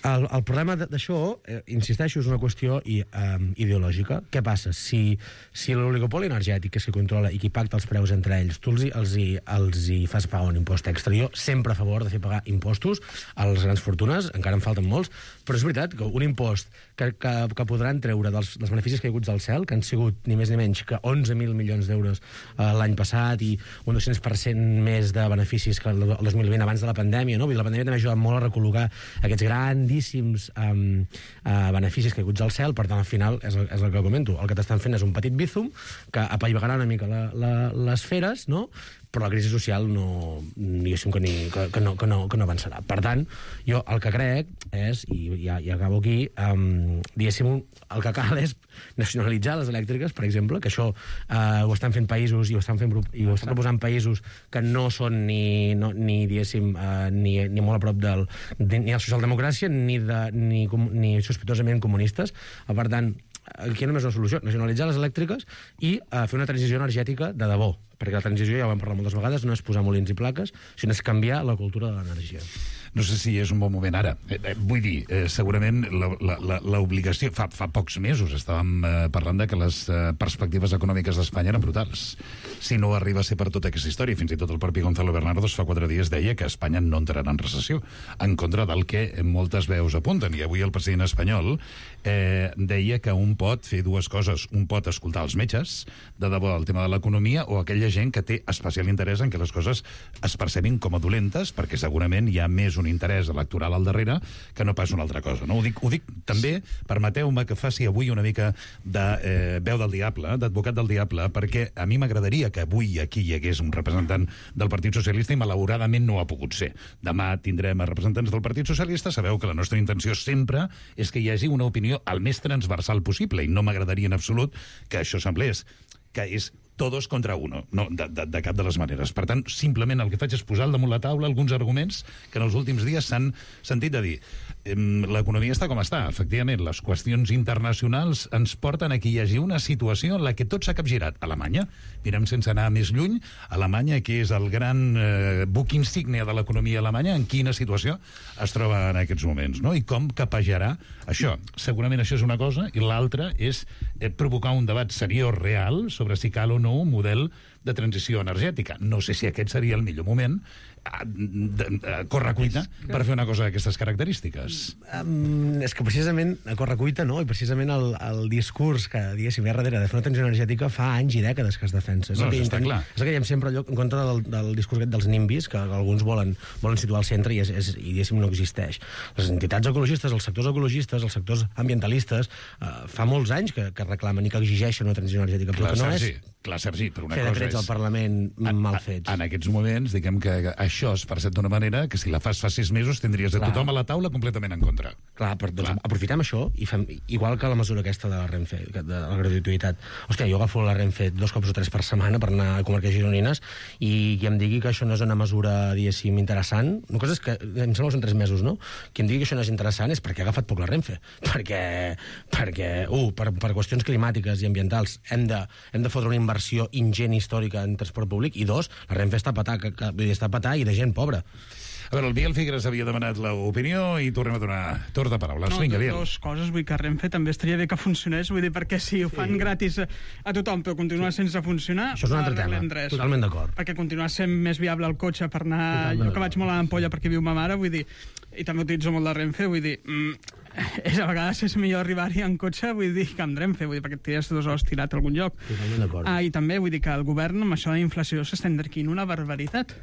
[SPEAKER 11] El, el problema d'això, eh, insisteixo, és una qüestió i, eh, ideològica. Què passa? Si, si l'oligopoli energètic és qui controla i qui pacta els preus entre ells, tu els, els, hi, els hi fas pagar un impost extra. Jo sempre a favor de fer pagar impostos a les grans fortunes, encara en falten molts, però és veritat que un impost que, que, que podran treure dels, dels beneficis caiguts del cel, que han sigut ni més ni menys que onze mil milions d'euros eh, l'any passat i un dos-cents per cent més de beneficis que el dos mil vint abans de la pandèmia, no? Vull dir, la pandèmia també ha ajudat molt a recol·locar aquests grans Um, uh, beneficis caiguts al cel. Per tant, al final, és el, és el que comento, el que t'estan fent és un petit bízum que apaivagarà una mica la, la, les feres, no? Però la crisi social no, diguéssim que, ni, que, que, no, que, no, que no avançarà. Per tant, jo el que crec és, i ja, ja acabo aquí, um, diguéssim, el que cal és nacionalitzar les elèctriques, per exemple, que això uh, ho estan fent països i ho estan, fent, i ho estan proposant països que no són ni, no, ni diguéssim, uh, ni, ni molt a prop del, ni de la socialdemocràcia ni, de, ni, ni sospitosament comunistes. Per tant, aquí només una solució, nacionalitzar les elèctriques i uh, fer una transició energètica de debò, perquè la transició, ja ho vam parlar moltes vegades, no és posar molins i plaques, sinó és canviar la cultura de l'energia.
[SPEAKER 5] No sé si és un bon moment ara. Eh, eh, vull dir, eh, segurament l'obligació... Fa, fa pocs mesos estàvem eh, parlant de que les eh, perspectives econòmiques d'Espanya eren brutals. Si no arriba a ser per tota aquesta història, fins i tot el propi Gonzalo Bernardos fa quatre dies deia que Espanya no entrarà en recessió, en contra del que moltes veus apunten. I avui el president espanyol eh, deia que un pot fer dues coses. Un pot escoltar els metges, de debò, el tema de l'economia, o aquella gent que té especial interès en que les coses es percebin com a dolentes, perquè segurament hi ha més un interès electoral al darrere que no pas una altra cosa. No? Ho dic, ho dic també, permeteu-me que faci avui una mica de eh, veu del diable, d'advocat del diable, perquè a mi m'agradaria que avui aquí hi hagués un representant del Partit Socialista i malauradament no ha pogut ser. Demà tindrem a representants del Partit Socialista. Sabeu que la nostra intenció sempre és que hi hagi una opinió el més transversal possible i no m'agradaria en absolut que això semblés que és todos contra uno, no, de, de, de cap de les maneres. Per tant, simplement el que faig és posar al damunt la taula alguns arguments que en els últims dies s'han sentit a dir. L'economia està com està, efectivament. Les qüestions internacionals ens porten a que hi hagi una situació en la que tot s'ha capgirat. Alemanya, mirem sense anar més lluny, Alemanya, que és el gran eh, buc insígnia de l'economia alemanya, en quina situació es troba en aquests moments, no? I com capejarà això. Segurament això és una cosa, i l'altra és eh, provocar un debat seriós, real, sobre si cal o no un model de transició energètica. No sé si aquest seria el millor moment a, a, a correcuita per fer una cosa d'aquestes característiques.
[SPEAKER 11] Um, és que precisament a correcuita no, i precisament el, el discurs que, diguéssim, ve darrere de fer una transició energètica fa anys i dècades que es defensa. És
[SPEAKER 5] no,
[SPEAKER 11] el que
[SPEAKER 5] està
[SPEAKER 11] intent...
[SPEAKER 5] clar.
[SPEAKER 11] És el que diem sempre allò, en contra del, del discurs aquest dels nimbis, que alguns volen, volen situar al centre i, és, és, i diguéssim, no existeix. Les entitats ecologistes, els sectors ecologistes, els sectors ambientalistes, uh, fa molts anys que, que reclamen i que exigeixen una transició energètica, però
[SPEAKER 5] clar,
[SPEAKER 11] que no
[SPEAKER 5] Sergi,
[SPEAKER 11] és...
[SPEAKER 5] Clar, Sergi, però una
[SPEAKER 11] fer
[SPEAKER 5] cosa
[SPEAKER 11] decrets
[SPEAKER 5] és...
[SPEAKER 11] al Parlament
[SPEAKER 5] en,
[SPEAKER 11] mal fets.
[SPEAKER 5] En aquests moments, diguem que això es percep d'una manera que si la fas fa sis mesos tindries de tothom a la taula completament en contra.
[SPEAKER 11] Clar, però doncs, aprofitem això i fem, igual que la mesura aquesta de la Renfe, de la gratuïtat. Hòstia, jo agafo la Renfe dos cops o tres per setmana per anar a comarques gironines i qui em digui que això no és una mesura, diguéssim, interessant, una cosa és que, em sembla que són tres mesos, no? Qui em digui que això no és interessant és perquè ha agafat poc la Renfe. Perquè, perquè uh, per, per qüestions climàtiques i ambientals hem de, hem de fotre una inversió ingent històrica en transport públic, i dos, la Renfe està a petar, que, que, està a petar i de gent pobra.
[SPEAKER 5] A veure, el Biel Figueres havia demanat l'opinió i tornem a donar torn de paraules.
[SPEAKER 12] No,
[SPEAKER 5] Vinga, Biel.
[SPEAKER 12] Dues coses, vull que Renfe també estaria bé que funcionés, vull dir, perquè si ho fan sí. gratis a, a tothom però continua sí. sense funcionar...
[SPEAKER 11] Això és un altre tema, res. Totalment d'acord.
[SPEAKER 12] Perquè continua sent més viable el cotxe per anar... Totalment jo que vaig molt a l'Ampolla perquè viu ma mare, vull dir, i també utilitzo molt la Renfe, vull dir... Mm, és, a vegades és millor arribar-hi en cotxe, vull dir, que amb Renfe, vull dir, perquè et tires dues hores tirat a algun lloc. Ah, I també vull dir que el govern amb això de la inflació s'està enderquint una barbaritat.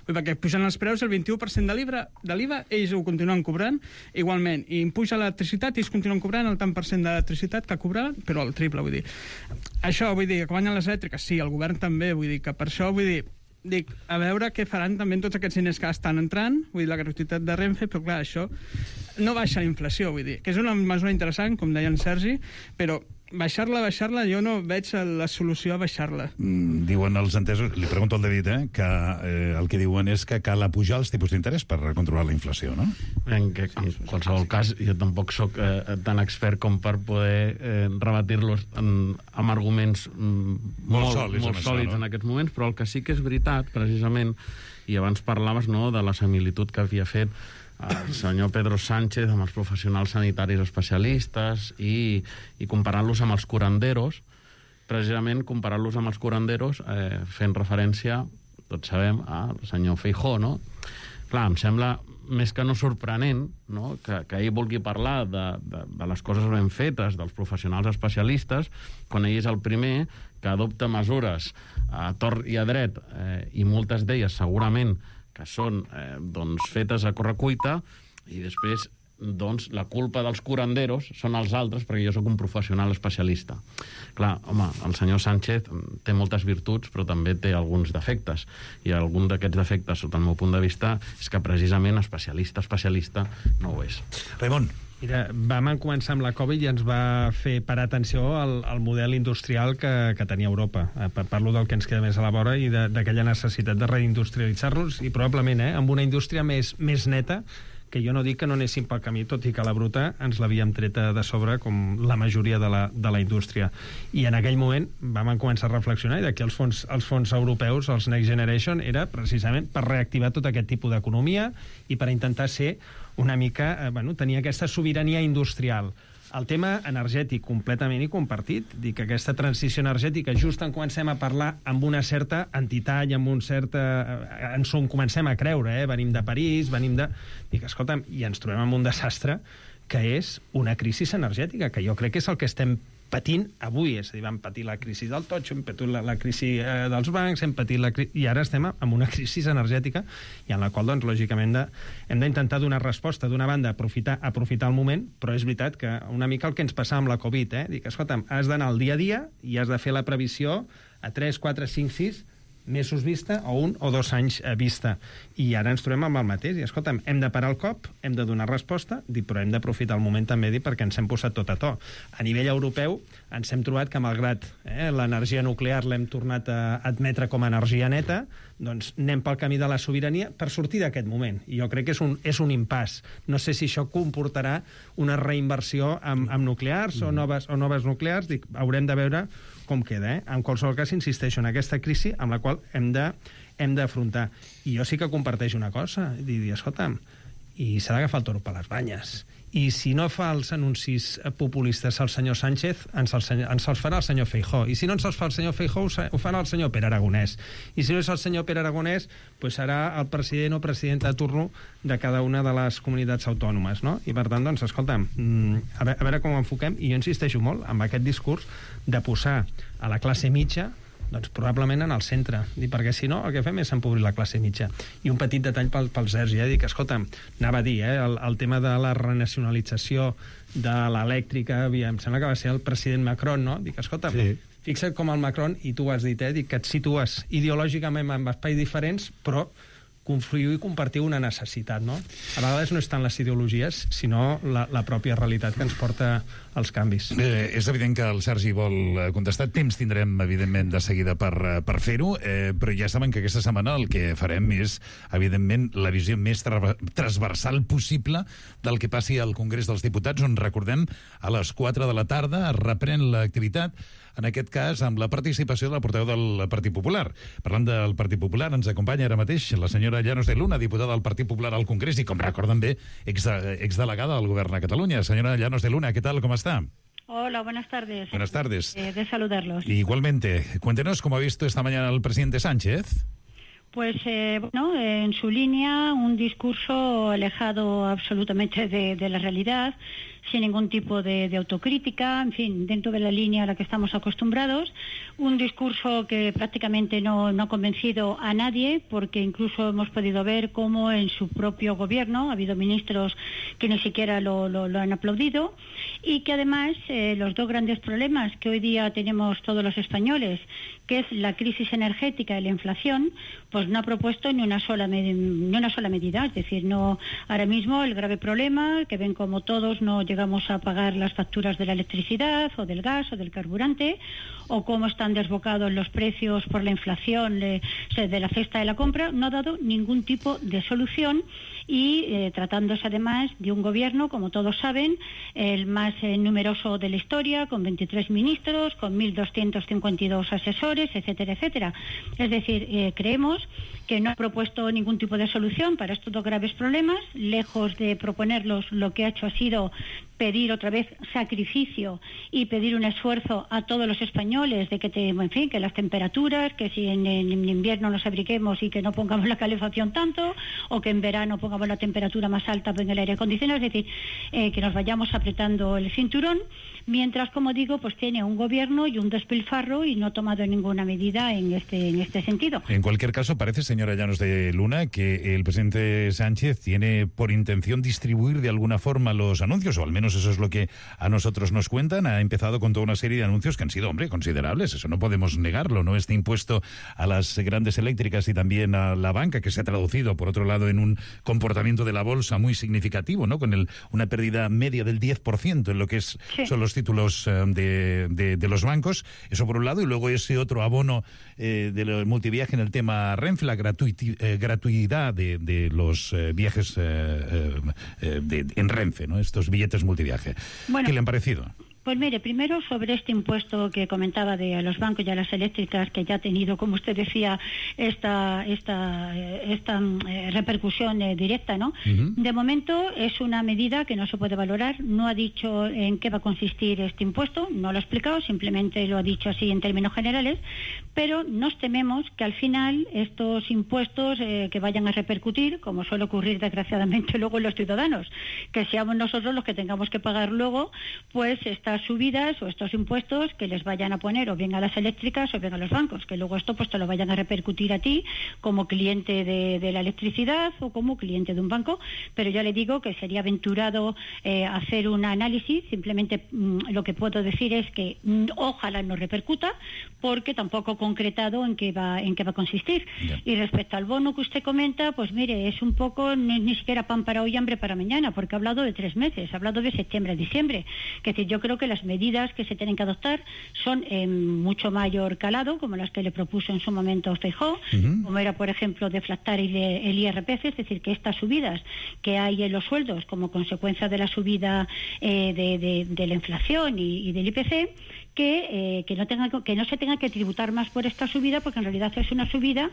[SPEAKER 12] Vull dir, perquè pugen els preus el vint-i-u per cent de l'IVA, ells ho continuen cobrant igualment, i puja l'electricitat i ells continuen cobrant el tant per cent d'electricitat que cobraven, però el triple, vull dir. Això, vull dir, que guanyen les elèctriques, sí, el govern també, vull dir, que per això, vull dir, dic, a veure què faran també tots aquests diners que estan entrant, vull dir, la gratuïtat de Renfe, però clar, això no baixa la inflació, vull dir, que és una mesura interessant, com deia en Sergi, però baixar-la, baixar-la, jo no veig la solució a baixar-la.
[SPEAKER 5] Mm, diuen els entesos, li pregunto al David, eh, que eh, el que diuen és que cal apujar els tipus d'interès per controlar la inflació, no?
[SPEAKER 10] En, que, en qualsevol cas, jo tampoc sóc eh, tan expert com per poder eh, rebatir-los en, amb arguments mm, molt, molt sòlids, molt sòlids això, no? En aquests moments, però el que sí que és veritat, precisament, i abans parlaves, no, de la similitud que havia fet el senyor Pedro Sánchez amb els professionals sanitaris especialistes i, i comparant-los amb els curanderos, precisament comparant-los amb els curanderos eh, fent referència, tots sabem, al senyor Feijóo, no? Clar, em sembla més que no sorprenent, no?, que, que ell vulgui parlar de, de, de les coses ben fetes dels professionals especialistes quan ell és el primer que adopta mesures a tort i a dret, eh, i moltes d'elles segurament que són eh, doncs, fetes a correcuita, i després doncs, la culpa dels curanderos són els altres, perquè jo sóc un professional especialista. Clar, home, el senyor Sánchez té moltes virtuts, però també té alguns defectes, i algun d'aquests defectes, sota el meu punt de vista, és que precisament especialista, especialista, no ho és.
[SPEAKER 5] Raimon.
[SPEAKER 9] Mira, vam començar amb la Covid i ens va fer parar atenció al, al model industrial que, que tenia Europa. Parlo del que ens queda més a la vora i d'aquella necessitat de reindustrialitzar-nos, i probablement eh, amb una indústria més, més neta, que jo no dic que no anéssim pel camí, tot i que la bruta ens l'havíem treta de sobre com la majoria de la, de la indústria. I en aquell moment vam començar a reflexionar, i d'aquí els fons, els fons europeus, els Next Generation, era precisament per reactivar tot aquest tipus d'economia i per intentar ser una mica, eh, bueno, tenir aquesta sobirania industrial. El tema energètic, completament i compartit. Dic que aquesta transició energètica, just en comencem a parlar amb una certa entitat i amb un cert... Ens ho comencem a creure, eh? Venim de París, venim de... Dic, escolta'm, i ens trobem amb un desastre que és una crisi energètica, que jo crec que és el que estem patint avui. És a dir, vam patir la crisi del totxo, hem patit la, la crisi eh, dels bancs, hem patit la crisi... I ara estem amb una crisi energètica i en la qual, doncs, lògicament, de, hem d'intentar donar resposta. D'una banda, aprofitar, aprofitar el moment, però és veritat que una mica el que ens passava amb la Covid, eh? Dic, escolta'm, has d'anar al dia a dia i has de fer la previsió a tres, quatre, cinc, sis mesos vista o un o dos anys vista. I ara ens trobem amb el mateix. I, escolta'm, hem de parar el cop, hem de donar resposta, però hem d'aprofitar el moment també perquè ens hem posat tot a to. A nivell europeu ens hem trobat que, malgrat eh, l'energia nuclear l'hem tornat a admetre com a energia neta, doncs anem pel camí de la sobirania per sortir d'aquest moment. I jo crec que és un, és un impàs. No sé si això comportarà una reinversió amb, amb nuclears mm. o, noves, o noves nuclears. Dic, haurem de veure com queda. Eh? En qualsevol cas, insisteixo en aquesta crisi amb la qual hem de hem d'afrontar. I jo sí que comparteixo una cosa, dir, escolta'm, i s'ha d'agafar el toro per les banyes. I si no fa els anuncis populistes al senyor Sánchez, ens els, ens els farà el senyor Feijóo. I si no ens els fa el senyor Feijóo, ho farà el senyor Pere Aragonès. I si no és el senyor Pere Aragonès, pues serà el president o presidenta de turno de cada una de les comunitats autònomes, no? I per tant, doncs, escolta'm, a veure, a veure com ho enfoquem, i jo insisteixo molt amb aquest discurs de posar a la classe mitja doncs probablement en el centre, i perquè si no el que fem és empobrir la classe mitja. I un petit detall pel, pel Sergi, eh? Dic, escolta'm, anava a dir, eh? el, el tema de la renacionalització de l'elèctrica, em sembla que va ser el president Macron, no? Dic, escolta'm, sí. Fixa't com el Macron, i tu ho has dit, eh? Dic que et situes ideològicament en espais diferents, però confluïu i compartiu una necessitat, no? A vegades no és tant les ideologies, sinó la, la pròpia realitat que ens porta als canvis.
[SPEAKER 5] Eh, és evident que el Sergi vol contestar. Temps tindrem, evidentment, de seguida per, per fer-ho, eh, però ja saben que aquesta setmana el que farem és, evidentment, la visió més tra transversal possible del que passi al Congrés dels Diputats, on, recordem, a les quatre de la tarda es reprèn l'activitat, en aquest cas amb la participació de la portaveu del Partit Popular. Parlant del Partit Popular, ens acompanya ara mateix la senyora Llanos de Luna, diputada del Partit Popular al Congrés i, com recorden bé, ex exdelegada del Govern a Catalunya. Senyora Llanos de Luna, ¿qué tal? ¿Cómo está?
[SPEAKER 13] Hola, buenas tardes.
[SPEAKER 5] Buenas tardes.
[SPEAKER 13] Eh, de saludarlos.
[SPEAKER 5] Igualmente. Cuéntenos cómo ha visto esta mañana el presidente Sánchez.
[SPEAKER 13] Pues, eh, bueno, en su línea, un discurso alejado absolutamente de, de la realidad, sin ningún tipo de, de autocrítica, en fin, dentro de la línea a la que estamos acostumbrados. Un discurso que prácticamente no, no ha convencido a nadie, porque incluso hemos podido ver cómo en su propio gobierno ha habido ministros que ni siquiera lo, lo, lo han aplaudido, y que además eh, los dos grandes problemas que hoy día tenemos todos los españoles, que es la crisis energética y la inflación, pues no ha propuesto ni una sola med- ni una sola medida. Es decir, no, ahora mismo el grave problema, que ven como todos no llegamos a pagar las facturas de la electricidad o del gas o del carburante, o cómo están desbocados los precios por la inflación de, de la cesta de la compra, no ha dado ningún tipo de solución. Y eh, tratándose además de un gobierno, como todos saben, el más eh, numeroso de la historia, con veintitrés ministros, con mil doscientos cincuenta y dos asesores, etcétera, etcétera. Es decir, eh, creemos que no ha propuesto ningún tipo de solución para estos dos graves problemas. Lejos de proponerlos, lo que ha hecho ha sido pedir otra vez sacrificio y pedir un esfuerzo a todos los españoles de que, te, en fin, que las temperaturas, que si en, en invierno nos abriguemos y que no pongamos la calefacción tanto, o que en verano pongamos la temperatura más alta en el aire acondicionado, es decir, eh, que nos vayamos apretando el cinturón, mientras, como digo, pues tiene un gobierno y un despilfarro y no ha tomado ninguna medida en este, en este sentido.
[SPEAKER 5] En cualquier caso, parece, señora Llanos de Luna, que el presidente Sánchez tiene por intención distribuir de alguna forma los anuncios, o al menos eso es lo que a nosotros nos cuentan. Ha empezado con toda una serie de anuncios que han sido, hombre, considerables, eso no podemos negarlo, ¿no? Este impuesto a las grandes eléctricas y también a la banca, que se ha traducido, por otro lado, en un comportamiento de la bolsa muy significativo, ¿no? Con el, una pérdida media del diez por ciento en lo que es, sí. son los títulos eh, de, de, de los bancos, eso por un lado, y luego ese otro abono eh, del multiviaje en el tema Renfe, la gratuiti, eh, gratuidad de, de los eh, viajes eh, eh, de, en Renfe, ¿no? Estos billetes multiviaje. Bueno, ¿qué le han parecido?
[SPEAKER 13] Pues mire, primero sobre este impuesto que comentaba de a los bancos y a las eléctricas, que ya ha tenido, como usted decía, esta esta esta eh, repercusión eh, directa, ¿no? Uh-huh. De momento es una medida que no se puede valorar, no ha dicho en qué va a consistir este impuesto, no lo ha explicado, simplemente lo ha dicho así en términos generales, pero nos tememos que al final estos impuestos eh, que vayan a repercutir, como suele ocurrir desgraciadamente luego en los ciudadanos, que seamos nosotros los que tengamos que pagar luego, pues esta subidas o estos impuestos que les vayan a poner o bien a las eléctricas o bien a los bancos, que luego esto pues te lo vayan a repercutir a ti como cliente de, de la electricidad o como cliente de un banco, pero ya le digo que sería aventurado eh, hacer un análisis. Simplemente mmm, lo que puedo decir es que mmm, ojalá no repercuta, porque tampoco he concretado en qué va en qué va a consistir. Yeah. Y respecto al bono que usted comenta, pues mire, es un poco ni, ni siquiera pan para hoy, hambre para mañana, porque ha hablado de tres meses, ha hablado de septiembre a diciembre. Es decir, yo creo que las medidas que se tienen que adoptar son en mucho mayor calado, como las que le propuso en su momento Feijóo, uh-huh. como era, por ejemplo, deflactar el, el I R P F, es decir, que estas subidas que hay en los sueldos como consecuencia de la subida eh, de, de, de la inflación y, y del I P C, que, eh, que, no tenga, que no se tenga que tributar más por esta subida, porque en realidad es una subida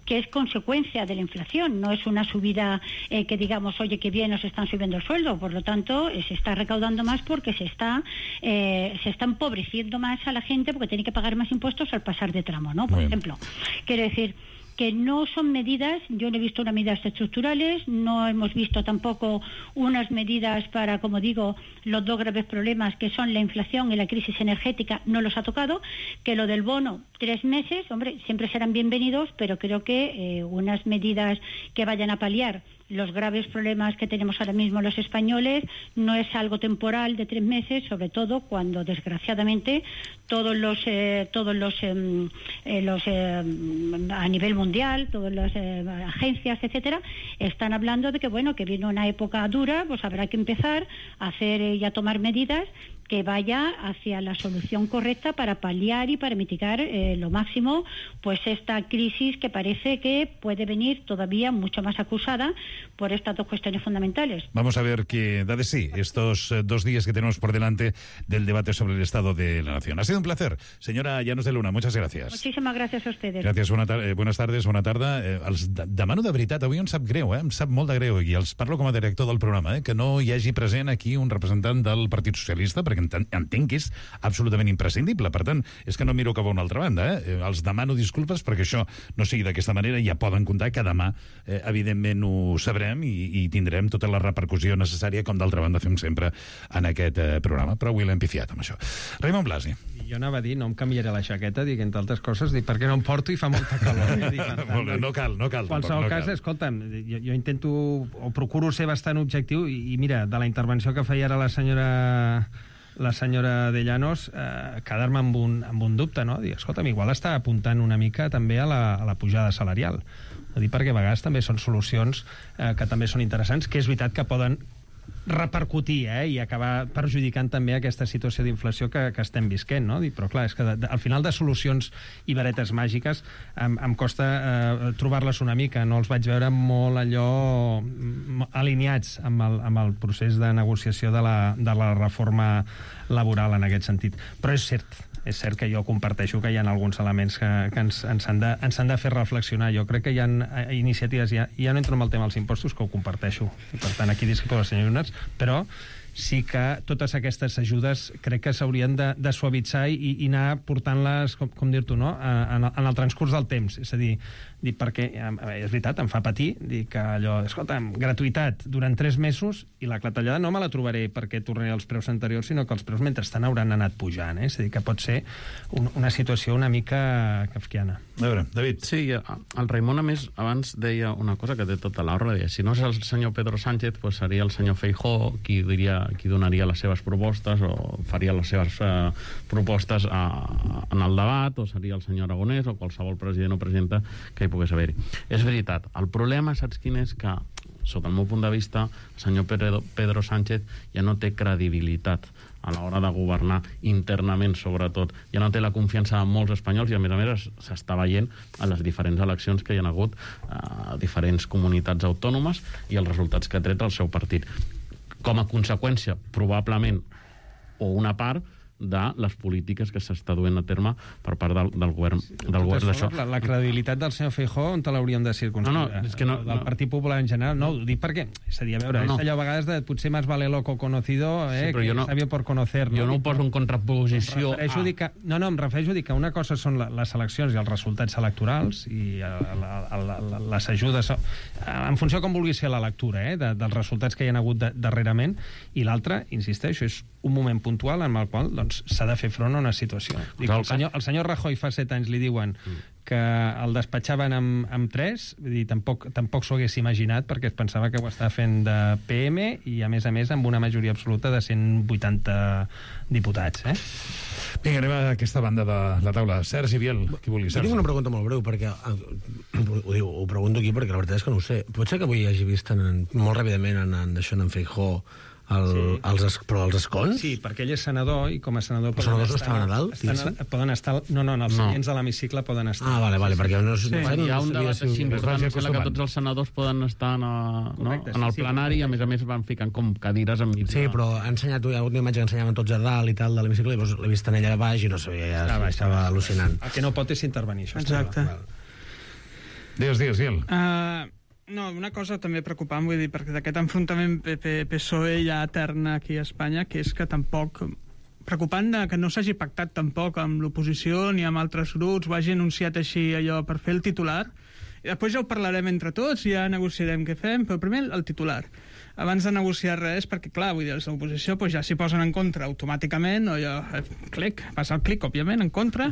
[SPEAKER 13] que es consecuencia de la inflación, no es una subida eh, que digamos, oye, que bien nos están subiendo el sueldo, por lo tanto eh, se está recaudando más porque se está eh, se está empobreciendo más a la gente porque tiene que pagar más impuestos al pasar de tramo, ¿no? Por bueno. ejemplo, quiero decir que no son medidas, yo no he visto unas medidas estructurales, no hemos visto tampoco unas medidas para, como digo, los dos graves problemas que son la inflación y la crisis energética, no los ha tocado, que lo del bono, tres meses, hombre, siempre serán bienvenidos, pero creo que eh, unas medidas que vayan a paliar los graves problemas que tenemos ahora mismo los españoles no es algo temporal de tres meses, sobre todo cuando desgraciadamente todos los eh, todos los eh, eh, los eh, a nivel mundial, todas las eh, agencias, etcétera, están hablando de que bueno, que viene una época dura, pues habrá que empezar a hacer eh, y a tomar medidas que vaya hacia la solución correcta para paliar y para mitigar eh, lo máximo pues esta crisis que parece que puede venir todavía mucho más acusada por estas dos cuestiones fundamentales.
[SPEAKER 5] Vamos a ver qué da de sí estos eh, dos días que tenemos por delante del debate sobre el Estado de la Nación. Ha sido un placer. Señora Llanos de Luna, muchas gracias.
[SPEAKER 13] Muchísimas gracias a ustedes.
[SPEAKER 5] Gràcies, bona tar eh, buenas tardes, bona tarda. Eh, els de demano de veritat, avui em sap greu, eh? em sap molt de greu, i els parlo com a director del programa, eh? que no hi hagi present aquí un representant del Partit Socialista, perquè perquè entenc que és absolutament imprescindible. Per tant, és que no miro cap a una altra banda. Eh? Els demano disculpes perquè això no sigui d'aquesta manera. Ja poden comptar que demà, eh, evidentment, ho sabrem i, i tindrem tota la repercussió necessària, com d'altra banda fem sempre en aquest eh, programa. Però avui l'hem pifiat amb això. Raimon Blasi.
[SPEAKER 9] Jo anava a dir, no em canviaré la jaqueta, dic, entre altres coses, dic, perquè no em porto i fa molta calor. Dic, tant,
[SPEAKER 5] no cal, no cal.
[SPEAKER 9] En qualsevol
[SPEAKER 5] no
[SPEAKER 9] cas,
[SPEAKER 5] cal.
[SPEAKER 9] escolta'm, jo, jo intento, o procuro ser bastant objectiu, i, i mira, de la intervenció que feia ara la senyora la senyora de Llanos, eh, quedar-me amb un, amb un dubte, no? Dir, escolta'm, igual està apuntant una mica també a la, a la pujada salarial. Ho dic perquè a vegades també són solucions eh, que també són interessants, que és veritat que poden repercutir eh, i acabar perjudicant també aquesta situació d'inflació que, que estem visquent, no? Però clar, és que de, de, al final de solucions i varetes màgiques em, em costa eh, trobar-les una mica, no els vaig veure molt allò alineats amb el, amb el procés de negociació de la, de la reforma laboral en aquest sentit. Però és cert, és cert que jo comparteixo que hi ha alguns elements que, que ens, ens, han de, ens han de fer reflexionar. Jo crec que hi ha iniciatives, ja, ja no entro en el tema dels impostos, que ho comparteixo, i per tant aquí discrepo del senyor Llunas, però sí que totes aquestes ajudes crec que s'haurien de, de suavitzar i, i anar portant-les, com, com dir-t'ho, no? en, en el transcurs del temps. És a dir, dir perquè, és veritat, em fa patir dir que allò, escolta'm, gratuïtat durant tres mesos i la clatellada no me la trobaré perquè tornaré als preus anteriors, sinó que els preus mentrestant hauran anat pujant. Eh? És a dir, que pot ser un, una situació una mica kafkiana.
[SPEAKER 5] A veure, David.
[SPEAKER 10] Sí, el Raimon, a més, abans deia una cosa que té tota la raó. Si no és el senyor Pedro Sánchez, pues seria el senyor Feijóo qui diria qui donaria les seves propostes o faria les seves eh, propostes a, a, en el debat, o seria el senyor Aragonès o qualsevol president o presidenta que hi pogués haver-hi. És veritat, el problema, saps quin és? Que, sota el meu punt de vista, el senyor Pedro, Pedro Sánchez ja no té credibilitat a l'hora de governar internament, sobretot. Ja no té la confiança de molts espanyols i, a més a més, s'està veient a les diferents eleccions que hi ha hagut a diferents comunitats autònomes i els resultats que ha tret el seu partit. Com a conseqüència, probablement, o una part, de les polítiques que s'està duent a terme per part del, del govern, del govern d'això.
[SPEAKER 9] La, la credibilitat del senyor Feijóo, on te l'hauríem de circumscriure?
[SPEAKER 10] No, no, és que no,
[SPEAKER 9] del
[SPEAKER 10] no.
[SPEAKER 9] Partit Popular en general, no, ho dic perquè, és a dir, a veure, no, no. és allò a vegades de potser més vale loco conocido eh, sí, que no, sabio por conocer. No?
[SPEAKER 10] Jo no ho poso en contraposició
[SPEAKER 9] em a... Que, no, no, em refereixo a dir que una cosa són la, les eleccions i els resultats electorals i la, la, la, la, les ajudes, en funció com vulgui ser la lectura, eh, de, dels resultats que hi ha hagut de, darrerament, i l'altre, insisteixo, és un moment puntual en el qual doncs, s'ha de fer front a una situació. Dic, el, senyor, el senyor Rajoy fa set anys li diuen que el despatxaven amb, amb tres, vull dir, tampoc, tampoc s'ho hagués imaginat perquè es pensava que ho estava fent de P M i, a més a més, amb una majoria absoluta de cent vuitanta diputats. Eh?
[SPEAKER 5] Vinga, anem a aquesta banda de la taula. Sergi Biel, qui vulgui.
[SPEAKER 11] Jo tinc una pregunta molt breu, perquè ho, diu, ho pregunto aquí perquè la veritat és que no ho sé. Pot ser que avui hagi vist en, molt ràpidament en, en, en, en Feijóo El, sí. els, però els escons?
[SPEAKER 9] Sí, perquè ell és senador i com a senador...
[SPEAKER 11] Els senadors no estaven a dalt?
[SPEAKER 9] Estan, poden estar... No, no, els no. seients de l'hemicicle poden estar.
[SPEAKER 11] Ah, vale, vale, perquè no...
[SPEAKER 10] Sí.
[SPEAKER 11] No,
[SPEAKER 10] hi ha un
[SPEAKER 11] no
[SPEAKER 10] debat així important
[SPEAKER 11] si
[SPEAKER 10] en què tots els senadors poden estar en, no?
[SPEAKER 9] Correcte,
[SPEAKER 10] en el
[SPEAKER 9] sí,
[SPEAKER 10] plenari
[SPEAKER 9] sí,
[SPEAKER 10] i, a més a més, van ficant com cadires enmig.
[SPEAKER 11] Sí, però ha ensenyat, hi ha hagut una imatge que ensenyaven tots a dalt i tal de l'hemicicle, i llavors l'he vist en ella a baix i no sabia, ja estava, estava al·lucinant.
[SPEAKER 9] El que no pot és intervenir, això.
[SPEAKER 12] Exacte.
[SPEAKER 5] Digues, digues, Biel.
[SPEAKER 12] Uh... No, una cosa també preocupant, vull dir, perquè d'aquest enfrontament P P P S O E ja etern aquí a Espanya, que és que tampoc... Preocupant que no s'hagi pactat tampoc amb l'oposició ni amb altres grups, ho hagi anunciat així allò per fer el titular, i després ja ho parlarem entre tots i ja negociarem què fem, però primer el titular. Abans de negociar res, perquè clar, vull dir, els de l'oposició pues, ja s'hi posen en contra automàticament, o ja, clic, passa el clic, òbviament, en contra,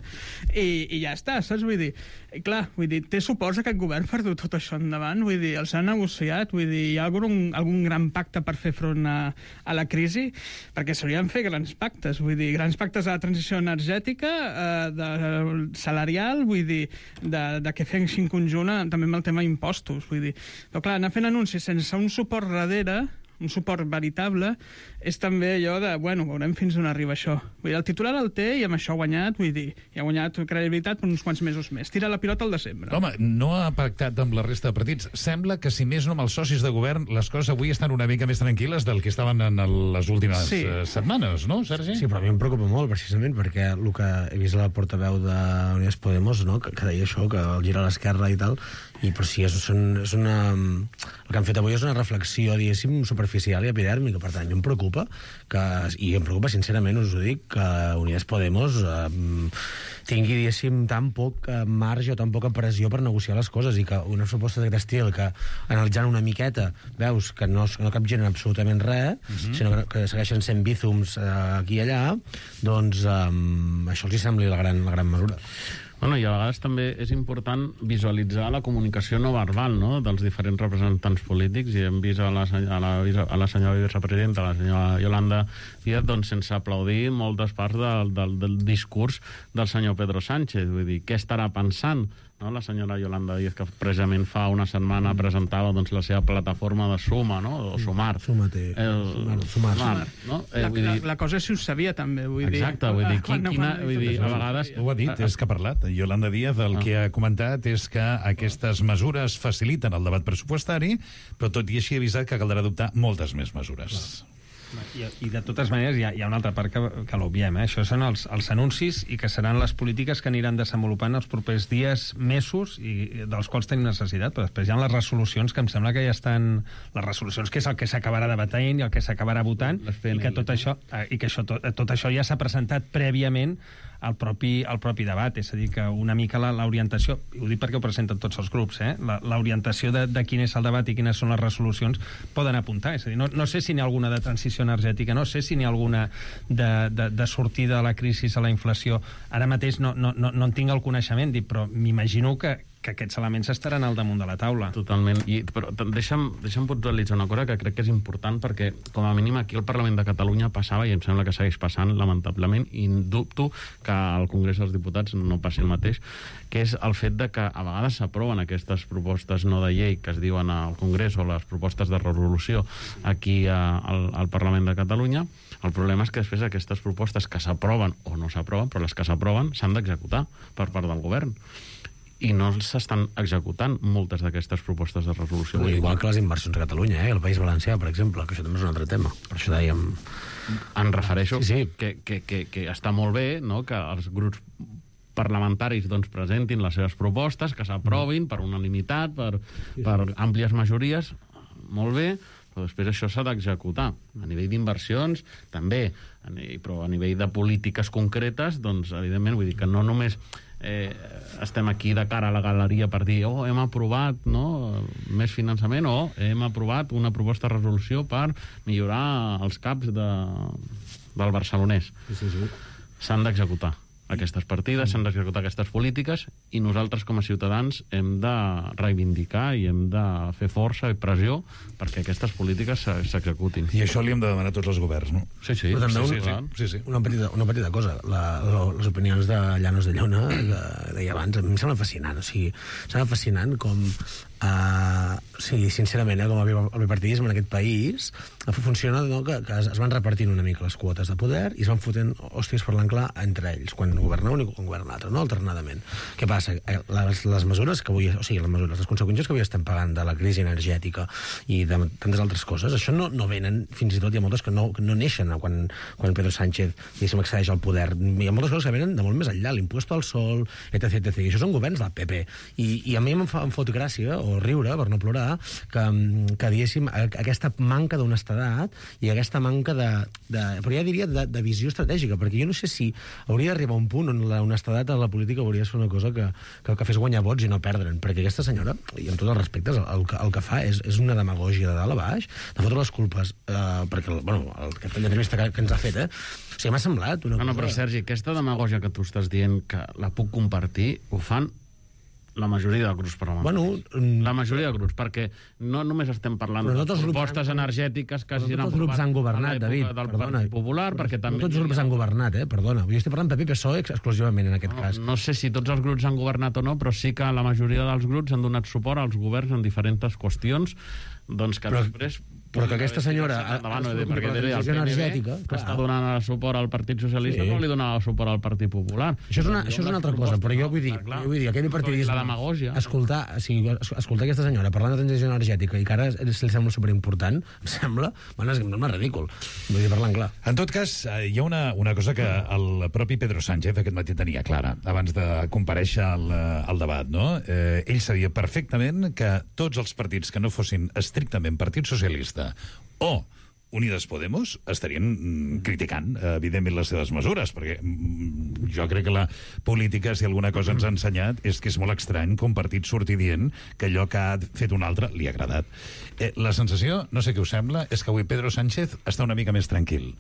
[SPEAKER 12] i, i ja està, saps? Vull dir, i clar, vull dir, té suports aquest govern per dur tot això endavant, vull dir, els han negociat, vull dir, hi ha algun, algun gran pacte per fer front a, a la crisi, perquè s'haurien de fer grans pactes, vull dir, grans pactes de la transició energètica, eh, de, salarial, vull dir, de, de què fem en conjunt, també amb el tema impostos, vull dir. Però clar, anar fent anuncis sense un suport darrere, un suport veritable, és també allò de, bueno, veurem fins on arriba això. Vull dir, el titular el té i amb això ha guanyat, vull dir, i ha guanyat credibilitat per uns quants mesos més. Tira la pilota al desembre.
[SPEAKER 5] Home, no ha pactat amb la resta de partits. Sembla que, si més no amb els socis de govern, les coses avui estan una mica més tranquil·les del que estaven en les últimes sí. setmanes, no, Sergi?
[SPEAKER 11] Sí, però a mi em preocupa molt, precisament, perquè el que he vist la portaveu d'Unides Podemos, no?, que, que deia això, que el gira a l'esquerra i tal, i però sí, és, és una... El que han fet avui és una reflexió, diguéssim, super superficial i epidèrmica. Per tant, jo em preocupa, que, i em preocupa sincerament, us ho dic, que Unides Podemos eh, tingui, diguéssim, tan poc marge o tan poca pressió per negociar les coses, i que una proposta d'aquest estil, que analitzant una miqueta veus que no, no capgiren absolutament res, uh-huh. sinó que, que segueixen sent bízums eh, aquí i allà, doncs eh, això els hi sembli la gran, la gran mesura.
[SPEAKER 10] Bueno, i a vegades també és important visualitzar la comunicació no verbal, no?, dels diferents representants polítics, i hem vist a la, a la, a la senyora vicepresidenta, la senyora Yolanda Díaz, doncs sense aplaudir moltes parts del, del, del discurs del senyor Pedro Sánchez. Vull dir, què estarà pensant, no?, la senyora Yolanda Díaz, que precisament fa una setmana presentava doncs, la seva plataforma de Suma, no?, o Sumar.
[SPEAKER 11] Sumate.
[SPEAKER 10] El,
[SPEAKER 11] Sumar. Sumar.
[SPEAKER 10] Sumar, no?
[SPEAKER 12] La,
[SPEAKER 10] Eh,
[SPEAKER 12] la, la cosa és si ho sabia, també. Vull
[SPEAKER 10] Exacte,
[SPEAKER 12] dir,
[SPEAKER 10] vull dir,
[SPEAKER 12] quan,
[SPEAKER 10] quina,
[SPEAKER 12] quan,
[SPEAKER 10] vull dir, a vegades...
[SPEAKER 5] Ho ha dit, és que ha parlat. Yolanda Díaz el ah. que ha comentat és que aquestes mesures faciliten el debat pressupostari, però tot i així ha avisat que caldrà adoptar moltes més mesures.
[SPEAKER 9] Clar. I, I de totes maneres hi ha, hi ha una altra part que, que l'obviem, eh? Això són els, els anuncis i que seran les polítiques que aniran desenvolupant els propers dies, mesos, i dels quals tenim necessitat, però després hi ha les resolucions que em sembla que ja estan... Les resolucions que és el que s'acabarà debatent i el que s'acabarà votant, i que tot això, eh, i que això, tot, tot això ja s'ha presentat prèviament al propi, al propi debat, és a dir, que una mica l'orientació, i ho dic perquè ho presenten tots els grups, eh? l'orientació de, de quin és el debat i quines són les resolucions poden apuntar, és a dir, no, no sé si n'hi ha alguna de transició energètica, no sé si n'hi ha alguna de, de, de sortida de la crisi a la inflació, ara mateix no, no, no, no en tinc el coneixement, dic, però m'imagino que que aquests elements estaran al damunt de la taula.
[SPEAKER 10] Totalment. I, però deixa'm, deixa'm puntualitzar una cosa que crec que és important, perquè com a mínim aquí al Parlament de Catalunya passava, i em sembla que segueix passant, lamentablement, i dubto que al Congrés dels Diputats no passi el mateix, que és el fet de que a vegades s'aproven aquestes propostes no de llei que es diuen al Congrés, o les propostes de resolució aquí a, al, al Parlament de Catalunya. El problema és que després aquestes propostes que s'aproven o no s'aproven, però les que s'aproven s'han d'executar per part del govern. I no s'estan executant moltes d'aquestes propostes de resolució.
[SPEAKER 11] Ui, igual que les inversions a Catalunya, eh? El País Valencià, per exemple, que això també és un altre tema. Per això dèiem...
[SPEAKER 10] Em refereixo
[SPEAKER 11] sí, sí.
[SPEAKER 10] Que, que, que, que està molt bé, no?, que els grups parlamentaris doncs, presentin les seves propostes, que s'aprovin per unanimitat, per, per àmplies majories, molt bé, però després això s'ha d'executar. A nivell d'inversions, també, a nivell, però a nivell de polítiques concretes, doncs, evidentment, vull dir que no només eh, estem aquí de cara a la galeria per dir, oh, hem aprovat, no?, més finançament, o hem aprovat una proposta de resolució per millorar els caps de, del barcelonès.
[SPEAKER 11] Sí, sí, sí.
[SPEAKER 10] S'han d'executar aquestes partides, s'han d'executar aquestes polítiques, i nosaltres com a ciutadans hem de reivindicar i hem de fer força i pressió perquè aquestes polítiques s'executin.
[SPEAKER 5] I això li hem de demanar a tots els governs, no?
[SPEAKER 10] Sí, sí.
[SPEAKER 11] Però també
[SPEAKER 5] sí,
[SPEAKER 11] un,
[SPEAKER 5] sí, sí, sí.
[SPEAKER 11] Una, petita, una petita cosa. La, la, les opinions de Llanos de Lluna, que deia abans, a mi em sembla fascinant. O sigui, sembla fascinant com... Uh, sí, sincerament, eh, com el bipartidisme en aquest país funciona, no?, que, que es van repartint una mica les quotes de poder i es van fotent hòsties per l'enclar entre ells, quan governa un i quan governa l'altre, no?, alternadament. Què passa? Les, les mesures que avui, o sigui, les mesures, les conseqüències que avui estem pagant de la crisi energètica i de tantes altres coses, això no, no venen, fins i tot hi ha moltes que no, que no neixen quan, quan Pedro Sánchez, diguéssim, accedeix al poder. Hi ha moltes coses que venen de molt més enllà, l'impuesto al sol, etc, etcètera. I això són governs del P P. I, i a mi em, fa, em fot gràcia, o riure, per no plorar, que, que diguéssim, aquesta manca d'honestedat i aquesta manca de, de però ja diria, de, de visió estratègica, perquè jo no sé si hauria d'arribar a un punt on la honestedat a la política hauria de ser una cosa que, que, que fes guanyar vots i no perdre'n, perquè aquesta senyora, i amb tots els respectes, el, el, el que fa és, és una demagògia de dalt a baix, de fotre les culpes, eh, perquè, bueno, aquesta entrevista que, que ens ha fet, eh, o sigui, m'ha semblat una
[SPEAKER 10] no,
[SPEAKER 11] cosa...
[SPEAKER 10] No, però Sergi, aquesta demagògia que tu estàs dient, que la puc compartir, ho fan la majoria de grups parlamentaris. Bueno, la majoria de grups, perquè no només estem parlant de propostes han... energètiques que hagin
[SPEAKER 11] aprovat... Tots els grups han governat, David,
[SPEAKER 10] del
[SPEAKER 11] perdona.
[SPEAKER 10] Partit Popular, perquè també...
[SPEAKER 11] No tots els grups han governat, eh, perdona. Jo estic parlant P P i P S O E exclusivament en aquest
[SPEAKER 10] no,
[SPEAKER 11] cas.
[SPEAKER 10] No sé si tots els grups han governat o no, però sí que la majoria dels grups han donat suport als governs en diferents qüestions, doncs que
[SPEAKER 11] però...
[SPEAKER 10] després...
[SPEAKER 11] Però que aquesta senyora...
[SPEAKER 10] Endavant, no, perquè el P N B, que està donant suport al Partit Socialista, sí. No li donava suport al Partit Popular.
[SPEAKER 11] Això és una, això és una altra cosa, però jo vull dir, jo vull dir aquell partidisme...
[SPEAKER 10] La demagògia.
[SPEAKER 11] Escoltar, o sigui, escoltar aquesta senyora parlant de transició energètica i que ara li sembla superimportant, em sembla, bueno, és, és ridícul. Vull dir, parlant clar.
[SPEAKER 5] En tot cas, hi ha una, una cosa que el propi Pedro Sánchez aquest matí tenia clara, abans de comparèixer al, al debat, no? Eh, ell sabia perfectament que tots els partits que no fossin estrictament Partit Socialista O Unides Podemos estarien mm, criticant, evidentment, les seves mesures, perquè mm, jo crec que la política, si alguna cosa ens ha ensenyat, és que és molt estrany que un partit surti dient que allò que ha fet un altre li ha agradat. Eh, la sensació, no sé què us sembla, és que avui Pedro Sánchez està una mica més tranquil.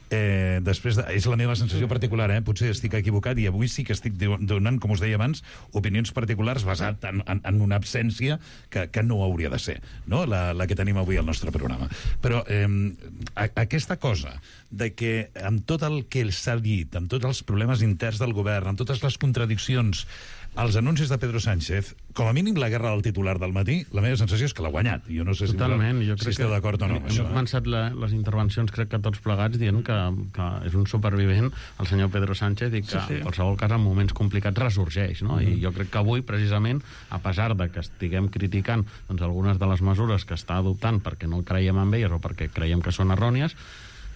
[SPEAKER 5] Eh, després de, és la meva sensació particular, eh? Potser estic equivocat i avui sí que estic donant, com us deia abans, opinions particulars basat en, en, en una absència que, que no hauria de ser, no? la, la que tenim avui al nostre programa. Però eh, a, aquesta cosa de que amb tot el que s'ha dit, amb tots els problemes interns del govern, amb totes les contradiccions, els anuncis de Pedro Sánchez, com a mínim la guerra del titular del matí, la meva sensació és que l'ha guanyat. Jo no sé si,
[SPEAKER 10] Totalment, jo
[SPEAKER 5] si
[SPEAKER 10] crec
[SPEAKER 5] esteu
[SPEAKER 10] que
[SPEAKER 5] d'acord o no.
[SPEAKER 10] Hem començat la, les intervencions, crec que tots plegats, dient que, que és un supervivent el senyor Pedro Sánchez i que sí, sí. en qualsevol cas en moments complicats ressorgeix, no? Mm-hmm. I jo crec que avui, precisament, a pesar de que estiguem criticant doncs, algunes de les mesures que està adoptant perquè no creiem en elles o perquè creiem que són errònies,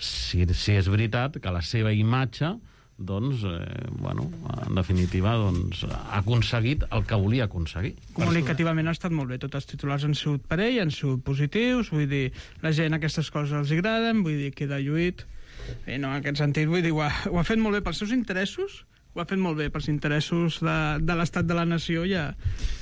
[SPEAKER 10] si, si és veritat que la seva imatge doncs, eh, bueno, en definitiva, doncs, ha aconseguit el que volia aconseguir.
[SPEAKER 12] Comunicativament ha estat molt bé, tots els titulars han sigut per ell, han sigut positius, vull dir, la gent aquestes coses els agraden, vull dir, queda lluït, i no, en aquest sentit, vull dir, ho ha, ho ha fet molt bé pels seus interessos, ho ha fet molt bé pels interessos de, de l'estat de la nació, ja,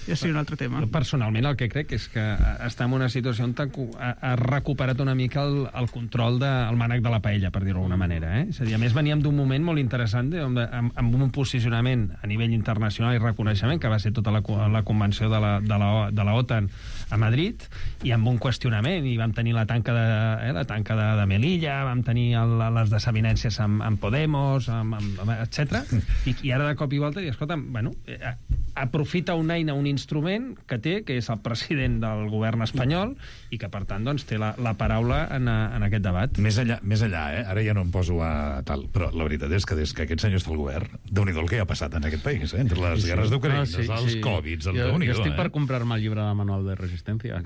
[SPEAKER 12] ja seria un altre tema.
[SPEAKER 9] Personalment el que crec és que està en una situació on ha, ha recuperat una mica el, el control del mànec de la paella, per dir-ho d'alguna manera. Eh? És a dir, a més veníem d'un moment molt interessant de, amb, amb un posicionament a nivell internacional i reconeixement, que va ser tota la, la convenció de la, de, la, de la OTAN a Madrid, i amb un qüestionament, i vam tenir la tanca de, eh, la tanca de, de Melilla, vam tenir el, les desavinències amb, amb Podemos, amb, amb, etcètera. I, i ara de cop i volta, i escolta, bueno, eh, aprofita una eina, un instrument que té, que és el president del govern espanyol, i que, per tant, doncs, té la, la paraula en, en aquest debat.
[SPEAKER 5] Més enllà, més enllà, eh? Ara ja no em poso a tal, però la veritat és que des que aquest senyor està al govern, déu-n'hi-do el que ha passat en aquest país, eh? Entre les
[SPEAKER 10] sí,
[SPEAKER 5] guerres d'Ucraïna,
[SPEAKER 10] no, sí,
[SPEAKER 5] els
[SPEAKER 10] sí.
[SPEAKER 5] Covids, el
[SPEAKER 10] jo,
[SPEAKER 5] déu-n'hi-do,
[SPEAKER 10] jo estic
[SPEAKER 5] eh?
[SPEAKER 10] per comprar-me el llibre de manual de resistència.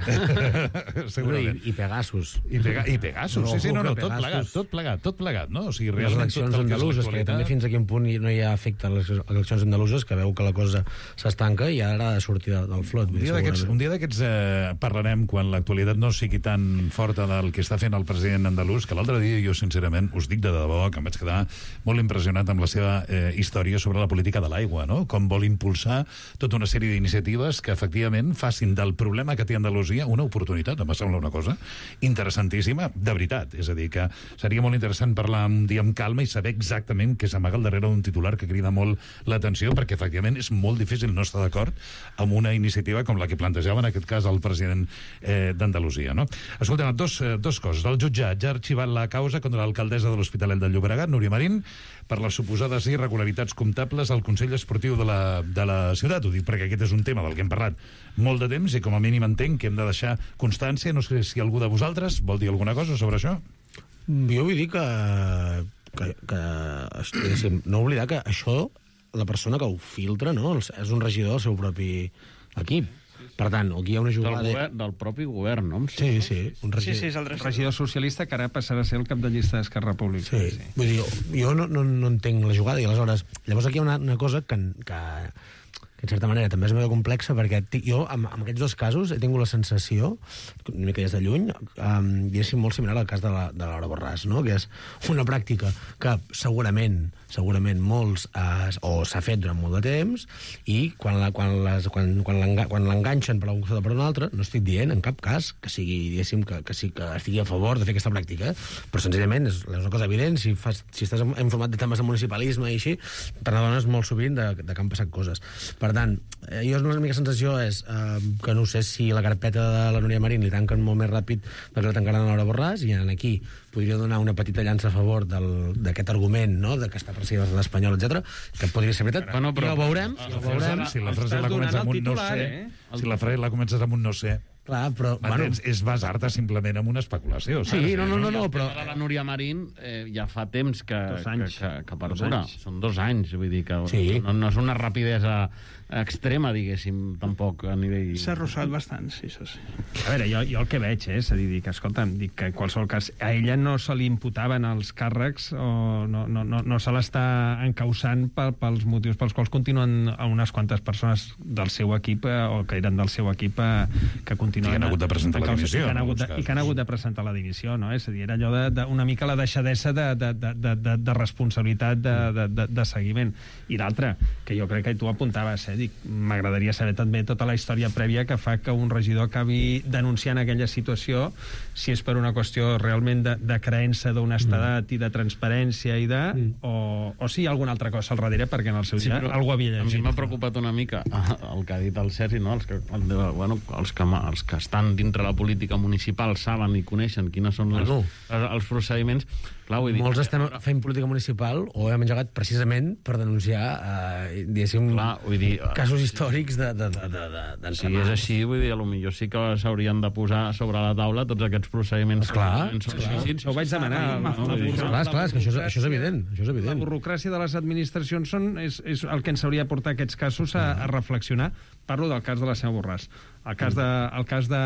[SPEAKER 5] Segurament.
[SPEAKER 11] I, i Pegasus.
[SPEAKER 5] I, pega, i Pegasus, sí, sí, no, no, tot plegat, tot plegat, tot plegat, no? O sigui,
[SPEAKER 11] les eleccions andaluses, perquè també fins a quin punt no hi ha efecte a les eleccions andaluses, que veu que la cosa s'estanca i ara ha de sortir del flot.
[SPEAKER 5] Un dia d'aquests un dia d'aquests eh, parlarem quan l'actualitat no sigui tan forta del que està fent el president andalús, que l'altre dia jo, sincerament, us dic de debò que em vaig quedar molt impressionat amb la seva eh, història sobre la política de l'aigua, no? Com vol impulsar tota una sèrie d'iniciatives que, efectivament, facin del problema que té Andalusia una oportunitat. Em va semblar una cosa interessantíssima, de veritat. És a dir, que seria molt interessant parlar un dia amb calma i saber exactament què s'amaga al darrere d'un titular que crida molt l'atenció, perquè, efectivament, és molt difícil no estar d'acord amb una iniciativa com la que plantejava, en aquest cas, el president eh, d'Andalusia, no? Escolta'm, dos, eh, dos coses. El jutjat ja ha arxivat la causa contra l'alcaldessa de l'Hospitalet de Llobregat, Núria Marín, per les suposades irregularitats comptables al Consell Esportiu de la, de la ciutat. Ho dic perquè aquest és un tema del que hem parlat molt de temps i com a mínim entenc que hem de deixar constància. No sé si algú de vosaltres vol dir alguna cosa sobre això.
[SPEAKER 11] Jo vull dir que, que, que no oblidar que això, la persona que ho filtra, no, és un regidor del seu propi equip. Per tant, aquí hi ha una jugada...
[SPEAKER 10] Del, govern, del propi govern, no?
[SPEAKER 11] Sí, sí. Un regidor,
[SPEAKER 12] sí, sí, és el regidor.
[SPEAKER 9] regidor socialista que ara passarà a ser el cap de llista d'Esquerra Republicana.
[SPEAKER 11] Sí. Sí. Vull dir, jo no, no, no entenc la jugada i aleshores... Llavors aquí hi ha una, una cosa que, que, que en certa manera també és molt complexa, perquè jo, amb, amb aquests dos casos, he tingut la sensació, una mica des de lluny, um, diguéssim, molt similar al cas de la, de Laura Borràs, no? Que és una pràctica que segurament segurament molts eh, o s'ha fet durant molt de temps i quan la, quan les, quan, quan l'enganxen per una cosa o per una altra, no estic dient en cap cas que sigui, diguéssim, que, que sí que estigui a favor de fer aquesta pràctica, però senzillament és, és una cosa evident, si, fas, si estàs en format de temes de municipalisme i així, te n'adones molt sovint de, de que han passat coses. Per tant, eh, jo la meva sensació és eh, que no sé si la carpeta de la Núria Marín li tanquen molt més ràpid del que la tancaran a Laura Borràs, i aquí podria donar una petita llança a favor d'aquest argument, no?, de que està perseguit l'espanyol, etcètera, que podria ser veritat.
[SPEAKER 10] Bueno, però,
[SPEAKER 11] ja ho veurem. Ja ho veurem.
[SPEAKER 5] Si la frase la comences amb un no sé, eh? si la frase la comences amb un no sé,
[SPEAKER 11] clar, però...
[SPEAKER 5] Bueno, és basar-te simplement en una especulació.
[SPEAKER 11] Sí, no, no, no, no, però...
[SPEAKER 10] La Núria Marín eh, ja fa temps que, que, que, que perdura. Són dos anys, vull dir que
[SPEAKER 11] sí.
[SPEAKER 10] no, no és una rapidesa extrema, diguéssim, tampoc a nivell...
[SPEAKER 12] S'ha arrossat bastant, sí, això sí.
[SPEAKER 9] A veure, jo, jo el que veig és, a dir, que, escolta'm, dic que en qualsevol cas a ella no se li imputaven els càrrecs o no, no, no, no se l'està encausant pel, pels motius pels quals continuen unes quantes persones del seu equip eh, o que eren del seu equip eh, que continuen
[SPEAKER 5] I
[SPEAKER 9] continuen...
[SPEAKER 5] que han hagut de presentar la
[SPEAKER 9] encausa-
[SPEAKER 5] dimissió,
[SPEAKER 9] I que han
[SPEAKER 5] en
[SPEAKER 9] hagut de,
[SPEAKER 5] alguns
[SPEAKER 9] i que han hagut de presentar la dimissió, no? És a dir, era allò de, de, una mica la deixadesa de, de, de, de, de, de responsabilitat de, de, de, de seguiment. I l'altre, que jo crec que tu apuntaves, eh? Dic, m'agradaria saber també tota la història prèvia que fa que un regidor acabi denunciant aquella situació, si és per una qüestió realment de, de creença d'honestedat mm. i de transparència i de... Mm. O, o si hi ha alguna altra cosa al darrere, perquè en el seu
[SPEAKER 10] Sí,
[SPEAKER 9] dia algú havia llegit.
[SPEAKER 10] A mi m'ha preocupat una mica el que ha dit el Sergi, no? els, que, el, bueno, els, que, els que estan dintre la política municipal saben i coneixen quines són les,
[SPEAKER 11] Bueno.
[SPEAKER 10] els, els procediments. Clar, vull dir,
[SPEAKER 11] Molts estem fent política municipal o hem engegat precisament per denunciar, eh, diguéssim,
[SPEAKER 10] Clar, vull dir,
[SPEAKER 11] casos històrics de, de, de, de, de,
[SPEAKER 10] si és així, vull dir, potser sí que s'haurien de posar sobre la taula tots aquests procediments.
[SPEAKER 11] Esclar,
[SPEAKER 10] que són
[SPEAKER 11] esclar.
[SPEAKER 10] lícits.
[SPEAKER 9] Ho vaig demanar.
[SPEAKER 10] No, vull dir,
[SPEAKER 11] Esclar, esclar, és que això és, això és evident. Això és
[SPEAKER 9] La
[SPEAKER 11] evident.
[SPEAKER 9] burocràcia de les administracions són, és, és el que ens hauria de portar aquests casos a, a reflexionar. Parlo del cas de la senyora Borràs. El cas de, el cas de,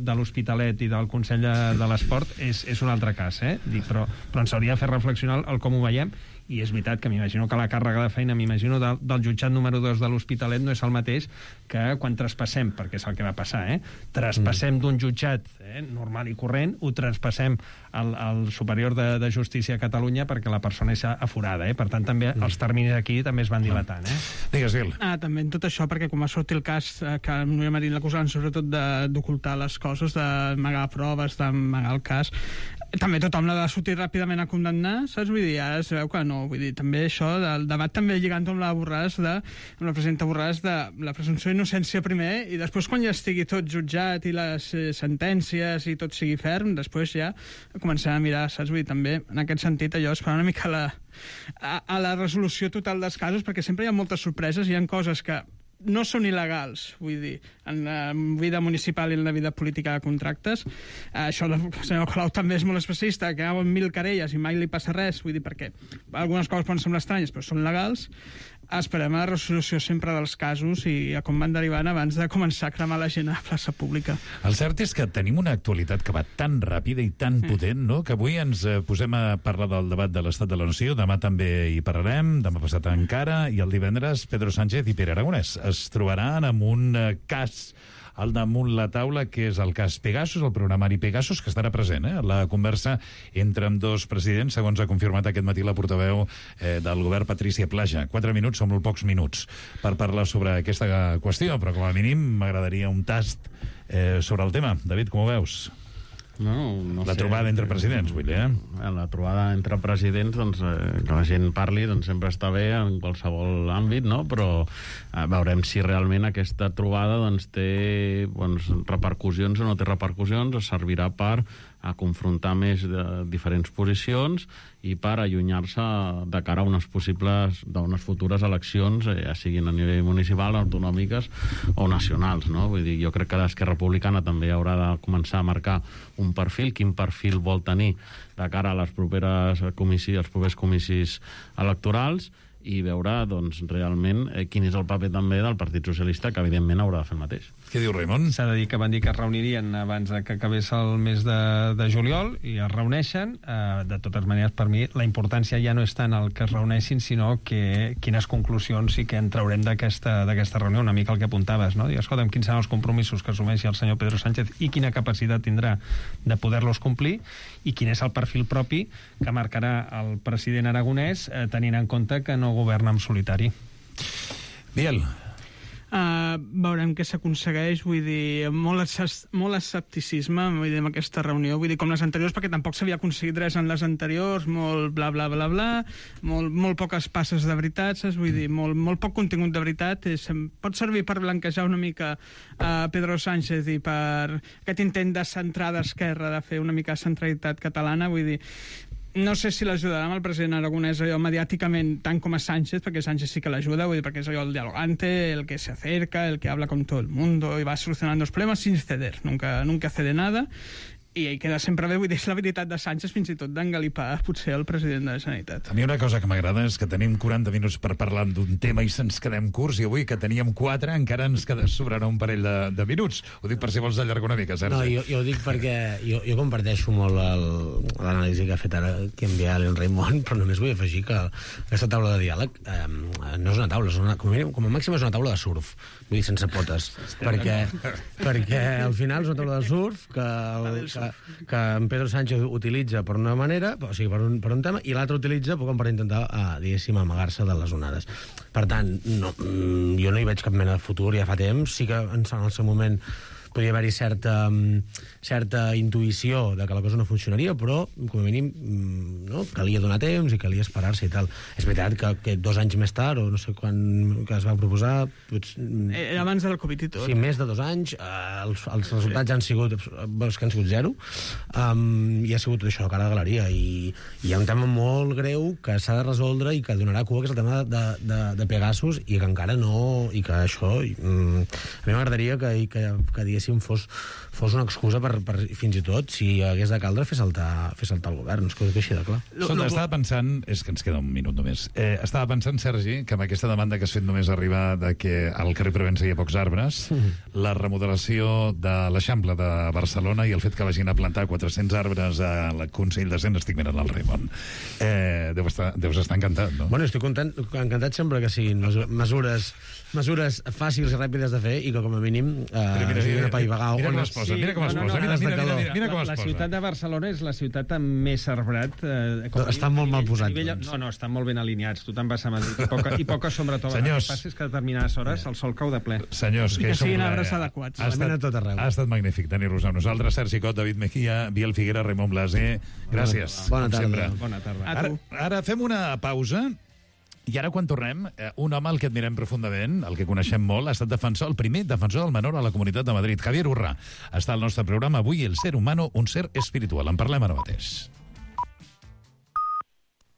[SPEAKER 9] de l'Hospitalet i del Consell de, de l'Esport és, és un altre cas, eh? Dic, però, però ens hauria de fer reflexionar el com ho veiem, i és veritat que m'imagino que la càrrega de feina, m'imagino, del, del jutjat número dos de l'Hospitalet no és el mateix que quan traspassem, perquè és el que va passar, eh? Traspassem mm. d'un jutjat eh, normal i corrent, ho traspassem al, al superior de, de justícia a Catalunya perquè la persona és aforada, eh? Per tant, també mm. els terminis aquí també es van dilatant, eh?
[SPEAKER 5] Digues, Gil.
[SPEAKER 12] Ah, també en tot això, perquè com va sortir el cas eh, que el Núria Marín l'acusaven sobretot de- d'ocultar les coses, d'amagar proves, d'amagar el cas, també tothom l'ha de sortir ràpidament a condemnar, saps? Vull dir, ara es veu que no, vull dir, també això del debat també lligant amb la Borràs, de, amb la presidenta Borràs, de la presumpció d'innocència primer, i després quan ja estigui tot jutjat i les eh, sentències i tot sigui ferm, després ja començar a mirar, saps? Vull dir, també, en aquest sentit, allò, esperar una mica la, a, a la resolució total dels casos, perquè sempre hi ha moltes sorpreses, hi ha coses que no són il·legals, vull dir, en la vida municipal i en la vida política de contractes. Eh, això el senyor Colau també és molt especialista, que hi ha mil querelles i mai li passa res, vull dir, perquè algunes coses poden semblar estranyes, però són legals. Esperem a la resolució sempre dels casos i a com van derivant abans de començar a cremar la gent a la plaça pública.
[SPEAKER 5] El cert és que tenim una actualitat que va tan ràpida i tan potent, no?, que avui ens eh, posem a parlar del debat de l'Estat de la Nació, demà també hi parlarem, demà passat encara, i el divendres Pedro Sánchez i Pere Aragonès es trobaran amb un eh, cas al damunt la taula, que és el cas Pegasus, el programari Pegasus, que estarà present, eh? La conversa entre amb dos presidents, segons ha confirmat aquest matí la portaveu eh, del govern, Patrícia Plaja. Quatre minuts són molt pocs minuts per parlar sobre aquesta qüestió, però com a mínim m'agradaria un tast eh, sobre el tema. David, com ho veus?
[SPEAKER 10] No, no
[SPEAKER 5] la
[SPEAKER 10] sé.
[SPEAKER 5] trobada entre presidents, vull dir, eh?
[SPEAKER 10] La trobada entre presidents, doncs, eh, que la gent parli, doncs sempre està bé en qualsevol àmbit, no? Però eh, veurem si realment aquesta trobada doncs, té doncs, repercussions o no té repercussions, o servirà per a confrontar més de diferents posicions i per allunyar-se de cara a unes possibles, d'unes futures eleccions, eh, ja siguin a nivell municipal, autonòmiques o nacionals, no? Vull dir, jo crec que l'Esquerra Republicana també haurà de començar a marcar un perfil, quin perfil vol tenir de cara a les properes comissis, als propers comissis electorals, i veure, doncs, realment eh, quin és el paper també del Partit Socialista, que evidentment haurà de fer el mateix.
[SPEAKER 5] Què diu Raimon?
[SPEAKER 9] S'ha de dir que van dir que es reunirien abans de que acabés el mes de, de juliol i es reuneixen. Eh, de totes maneres, per mi, la importància ja no és tant el que es reuneixin, sinó que quines conclusions sí que en traurem d'aquesta d'aquesta reunió, una mica el que apuntaves, no? Dir, escolta'm, quins seran els compromisos que assumeixi el senyor Pedro Sánchez i quina capacitat tindrà de poder-los complir i quin és el perfil propi que marcarà el president aragonès, eh, tenint en compte que no governa en solitari.
[SPEAKER 5] Biel.
[SPEAKER 12] Uh, veurem què s'aconsegueix, vull dir, molt, esce- molt escepticisme, vull dir, amb aquesta reunió, vull dir, com les anteriors, perquè tampoc s'havia aconseguit res en les anteriors, molt bla bla bla bla, molt, molt poques passes de veritat, saps? Vull dir, molt, molt poc contingut de veritat, és, pot servir per blanquejar una mica a uh, Pedro Sánchez i per aquest intent de centrar d'esquerra, de fer una mica centralitat catalana, vull dir, no sé si l'ajudarà amb el president aragonès allò mediàticament tant com a Sánchez, perquè Sánchez sí que l'ajuda, vull dir, perquè és allò el dialogante, el que se acerca, el que habla con todo el mundo y va solucionando los problemas sin ceder, nunca, nunca cede nada. i ell queda sempre bé, vull dir, és l'habilitat de Sánchez fins i tot d'engalipar potser el president de la Generalitat.
[SPEAKER 5] A mi una cosa que m'agrada és que tenim quaranta minuts per parlar d'un tema i se'ns quedem curts, i avui que teníem quatre encara ens queda sobrarà un parell de, de minuts. Ho dic per si vols allargar una mica, Sergi.
[SPEAKER 11] No, jo, jo ho dic perquè jo, jo comparteixo molt l'anàlisi que ha fet ara que enviar en Raimon, però només vull afegir que aquesta taula de diàleg eh, no és una taula, és una, com, a mínim, com a màxim és una taula de surf, vull dir, sense potes, perquè, perquè al final és una taula de surf que, el, que, que en Pedro Sánchez utilitza per una manera, o sigui, per un, per un tema, i l'altre utilitza com per intentar, eh, diguéssim, amagar-se de les onades. Per tant, no, jo no hi veig cap mena de futur, ja fa temps, sí que en el seu moment podia haver-hi certa, certa intuïció de que la cosa no funcionaria, però, com a mínim, no, calia donar temps i calia esperar-se i tal. És veritat que, que dos anys més tard, o no sé quan que es va proposar... Pots...
[SPEAKER 12] Era abans del Covid i tot.
[SPEAKER 11] Sí, més de dos anys, eh, els, els resultats han sigut, els que han sigut zero, um, i ha sigut això, cara de galeria, i, i hi ha un tema molt greu que s'ha de resoldre i que donarà cua, que és el tema de, de, de Pegasus, i que encara no... i que això... I, um, a mi m'agradaria que, que, que diguéssim fos, fos una excusa per, per, fins i tot, si hagués de caldre, fer saltar, fer saltar el govern. És que així de clar.
[SPEAKER 5] Escolta, estava pensant... És que ens queda un minut només. Eh, estava pensant, Sergi, que amb aquesta demanda que has fet només arribar de que al carrer Provença hi ha pocs arbres, mm. la remodelació de l'Eixample de Barcelona i el fet que vagin a plantar quatre-cents arbres al Consell de Cent, estic mirant el Raimon. Eh, deus, estar, deus estar encantat, no?
[SPEAKER 11] Bueno, estic content, encantat sempre que siguin mesures, mesures fàcils i ràpides de fer i que com a mínim eh,
[SPEAKER 5] mira, mira,
[SPEAKER 11] mira, apaivagar...
[SPEAKER 5] mira com es posa, mira com es posa, mira, mira, mira, mira, mira com es
[SPEAKER 9] la,
[SPEAKER 5] posa.
[SPEAKER 9] La ciutat de Barcelona és la ciutat amb més arbrat. Eh, com
[SPEAKER 11] Estan molt mal posats.
[SPEAKER 9] Nivell,
[SPEAKER 11] doncs.
[SPEAKER 9] no, no, estan molt ben alineats. Tu te'n vas a Madrid. I poca, i poca sombra tova.
[SPEAKER 5] Senyors.
[SPEAKER 9] El que passa és que a determinades hores el sol cau de ple.
[SPEAKER 5] Senyors,
[SPEAKER 12] I que
[SPEAKER 5] som
[SPEAKER 12] siguin
[SPEAKER 5] una-
[SPEAKER 12] arbres adequats.
[SPEAKER 5] Ha estat,
[SPEAKER 11] tot arreu.
[SPEAKER 5] ha estat magnífic tenir-los amb nosaltres. Sergi Cot, David Mejía, Biel Figuera, Raimon Blaser. Gràcies.
[SPEAKER 11] Bona
[SPEAKER 5] com
[SPEAKER 11] tarda.
[SPEAKER 5] sempre.
[SPEAKER 9] Bona tarda.
[SPEAKER 12] A
[SPEAKER 5] Ara,
[SPEAKER 12] tu.
[SPEAKER 5] ara fem una pausa. I ara, quan tornem, eh, un home al que admirem profundament, el que coneixem molt, ha estat defensor, el primer defensor del menor a la Comunitat de Madrid, Javier Urra. Està al nostre programa avui, El ser humano, un ser espiritual. En parlem ara mateix.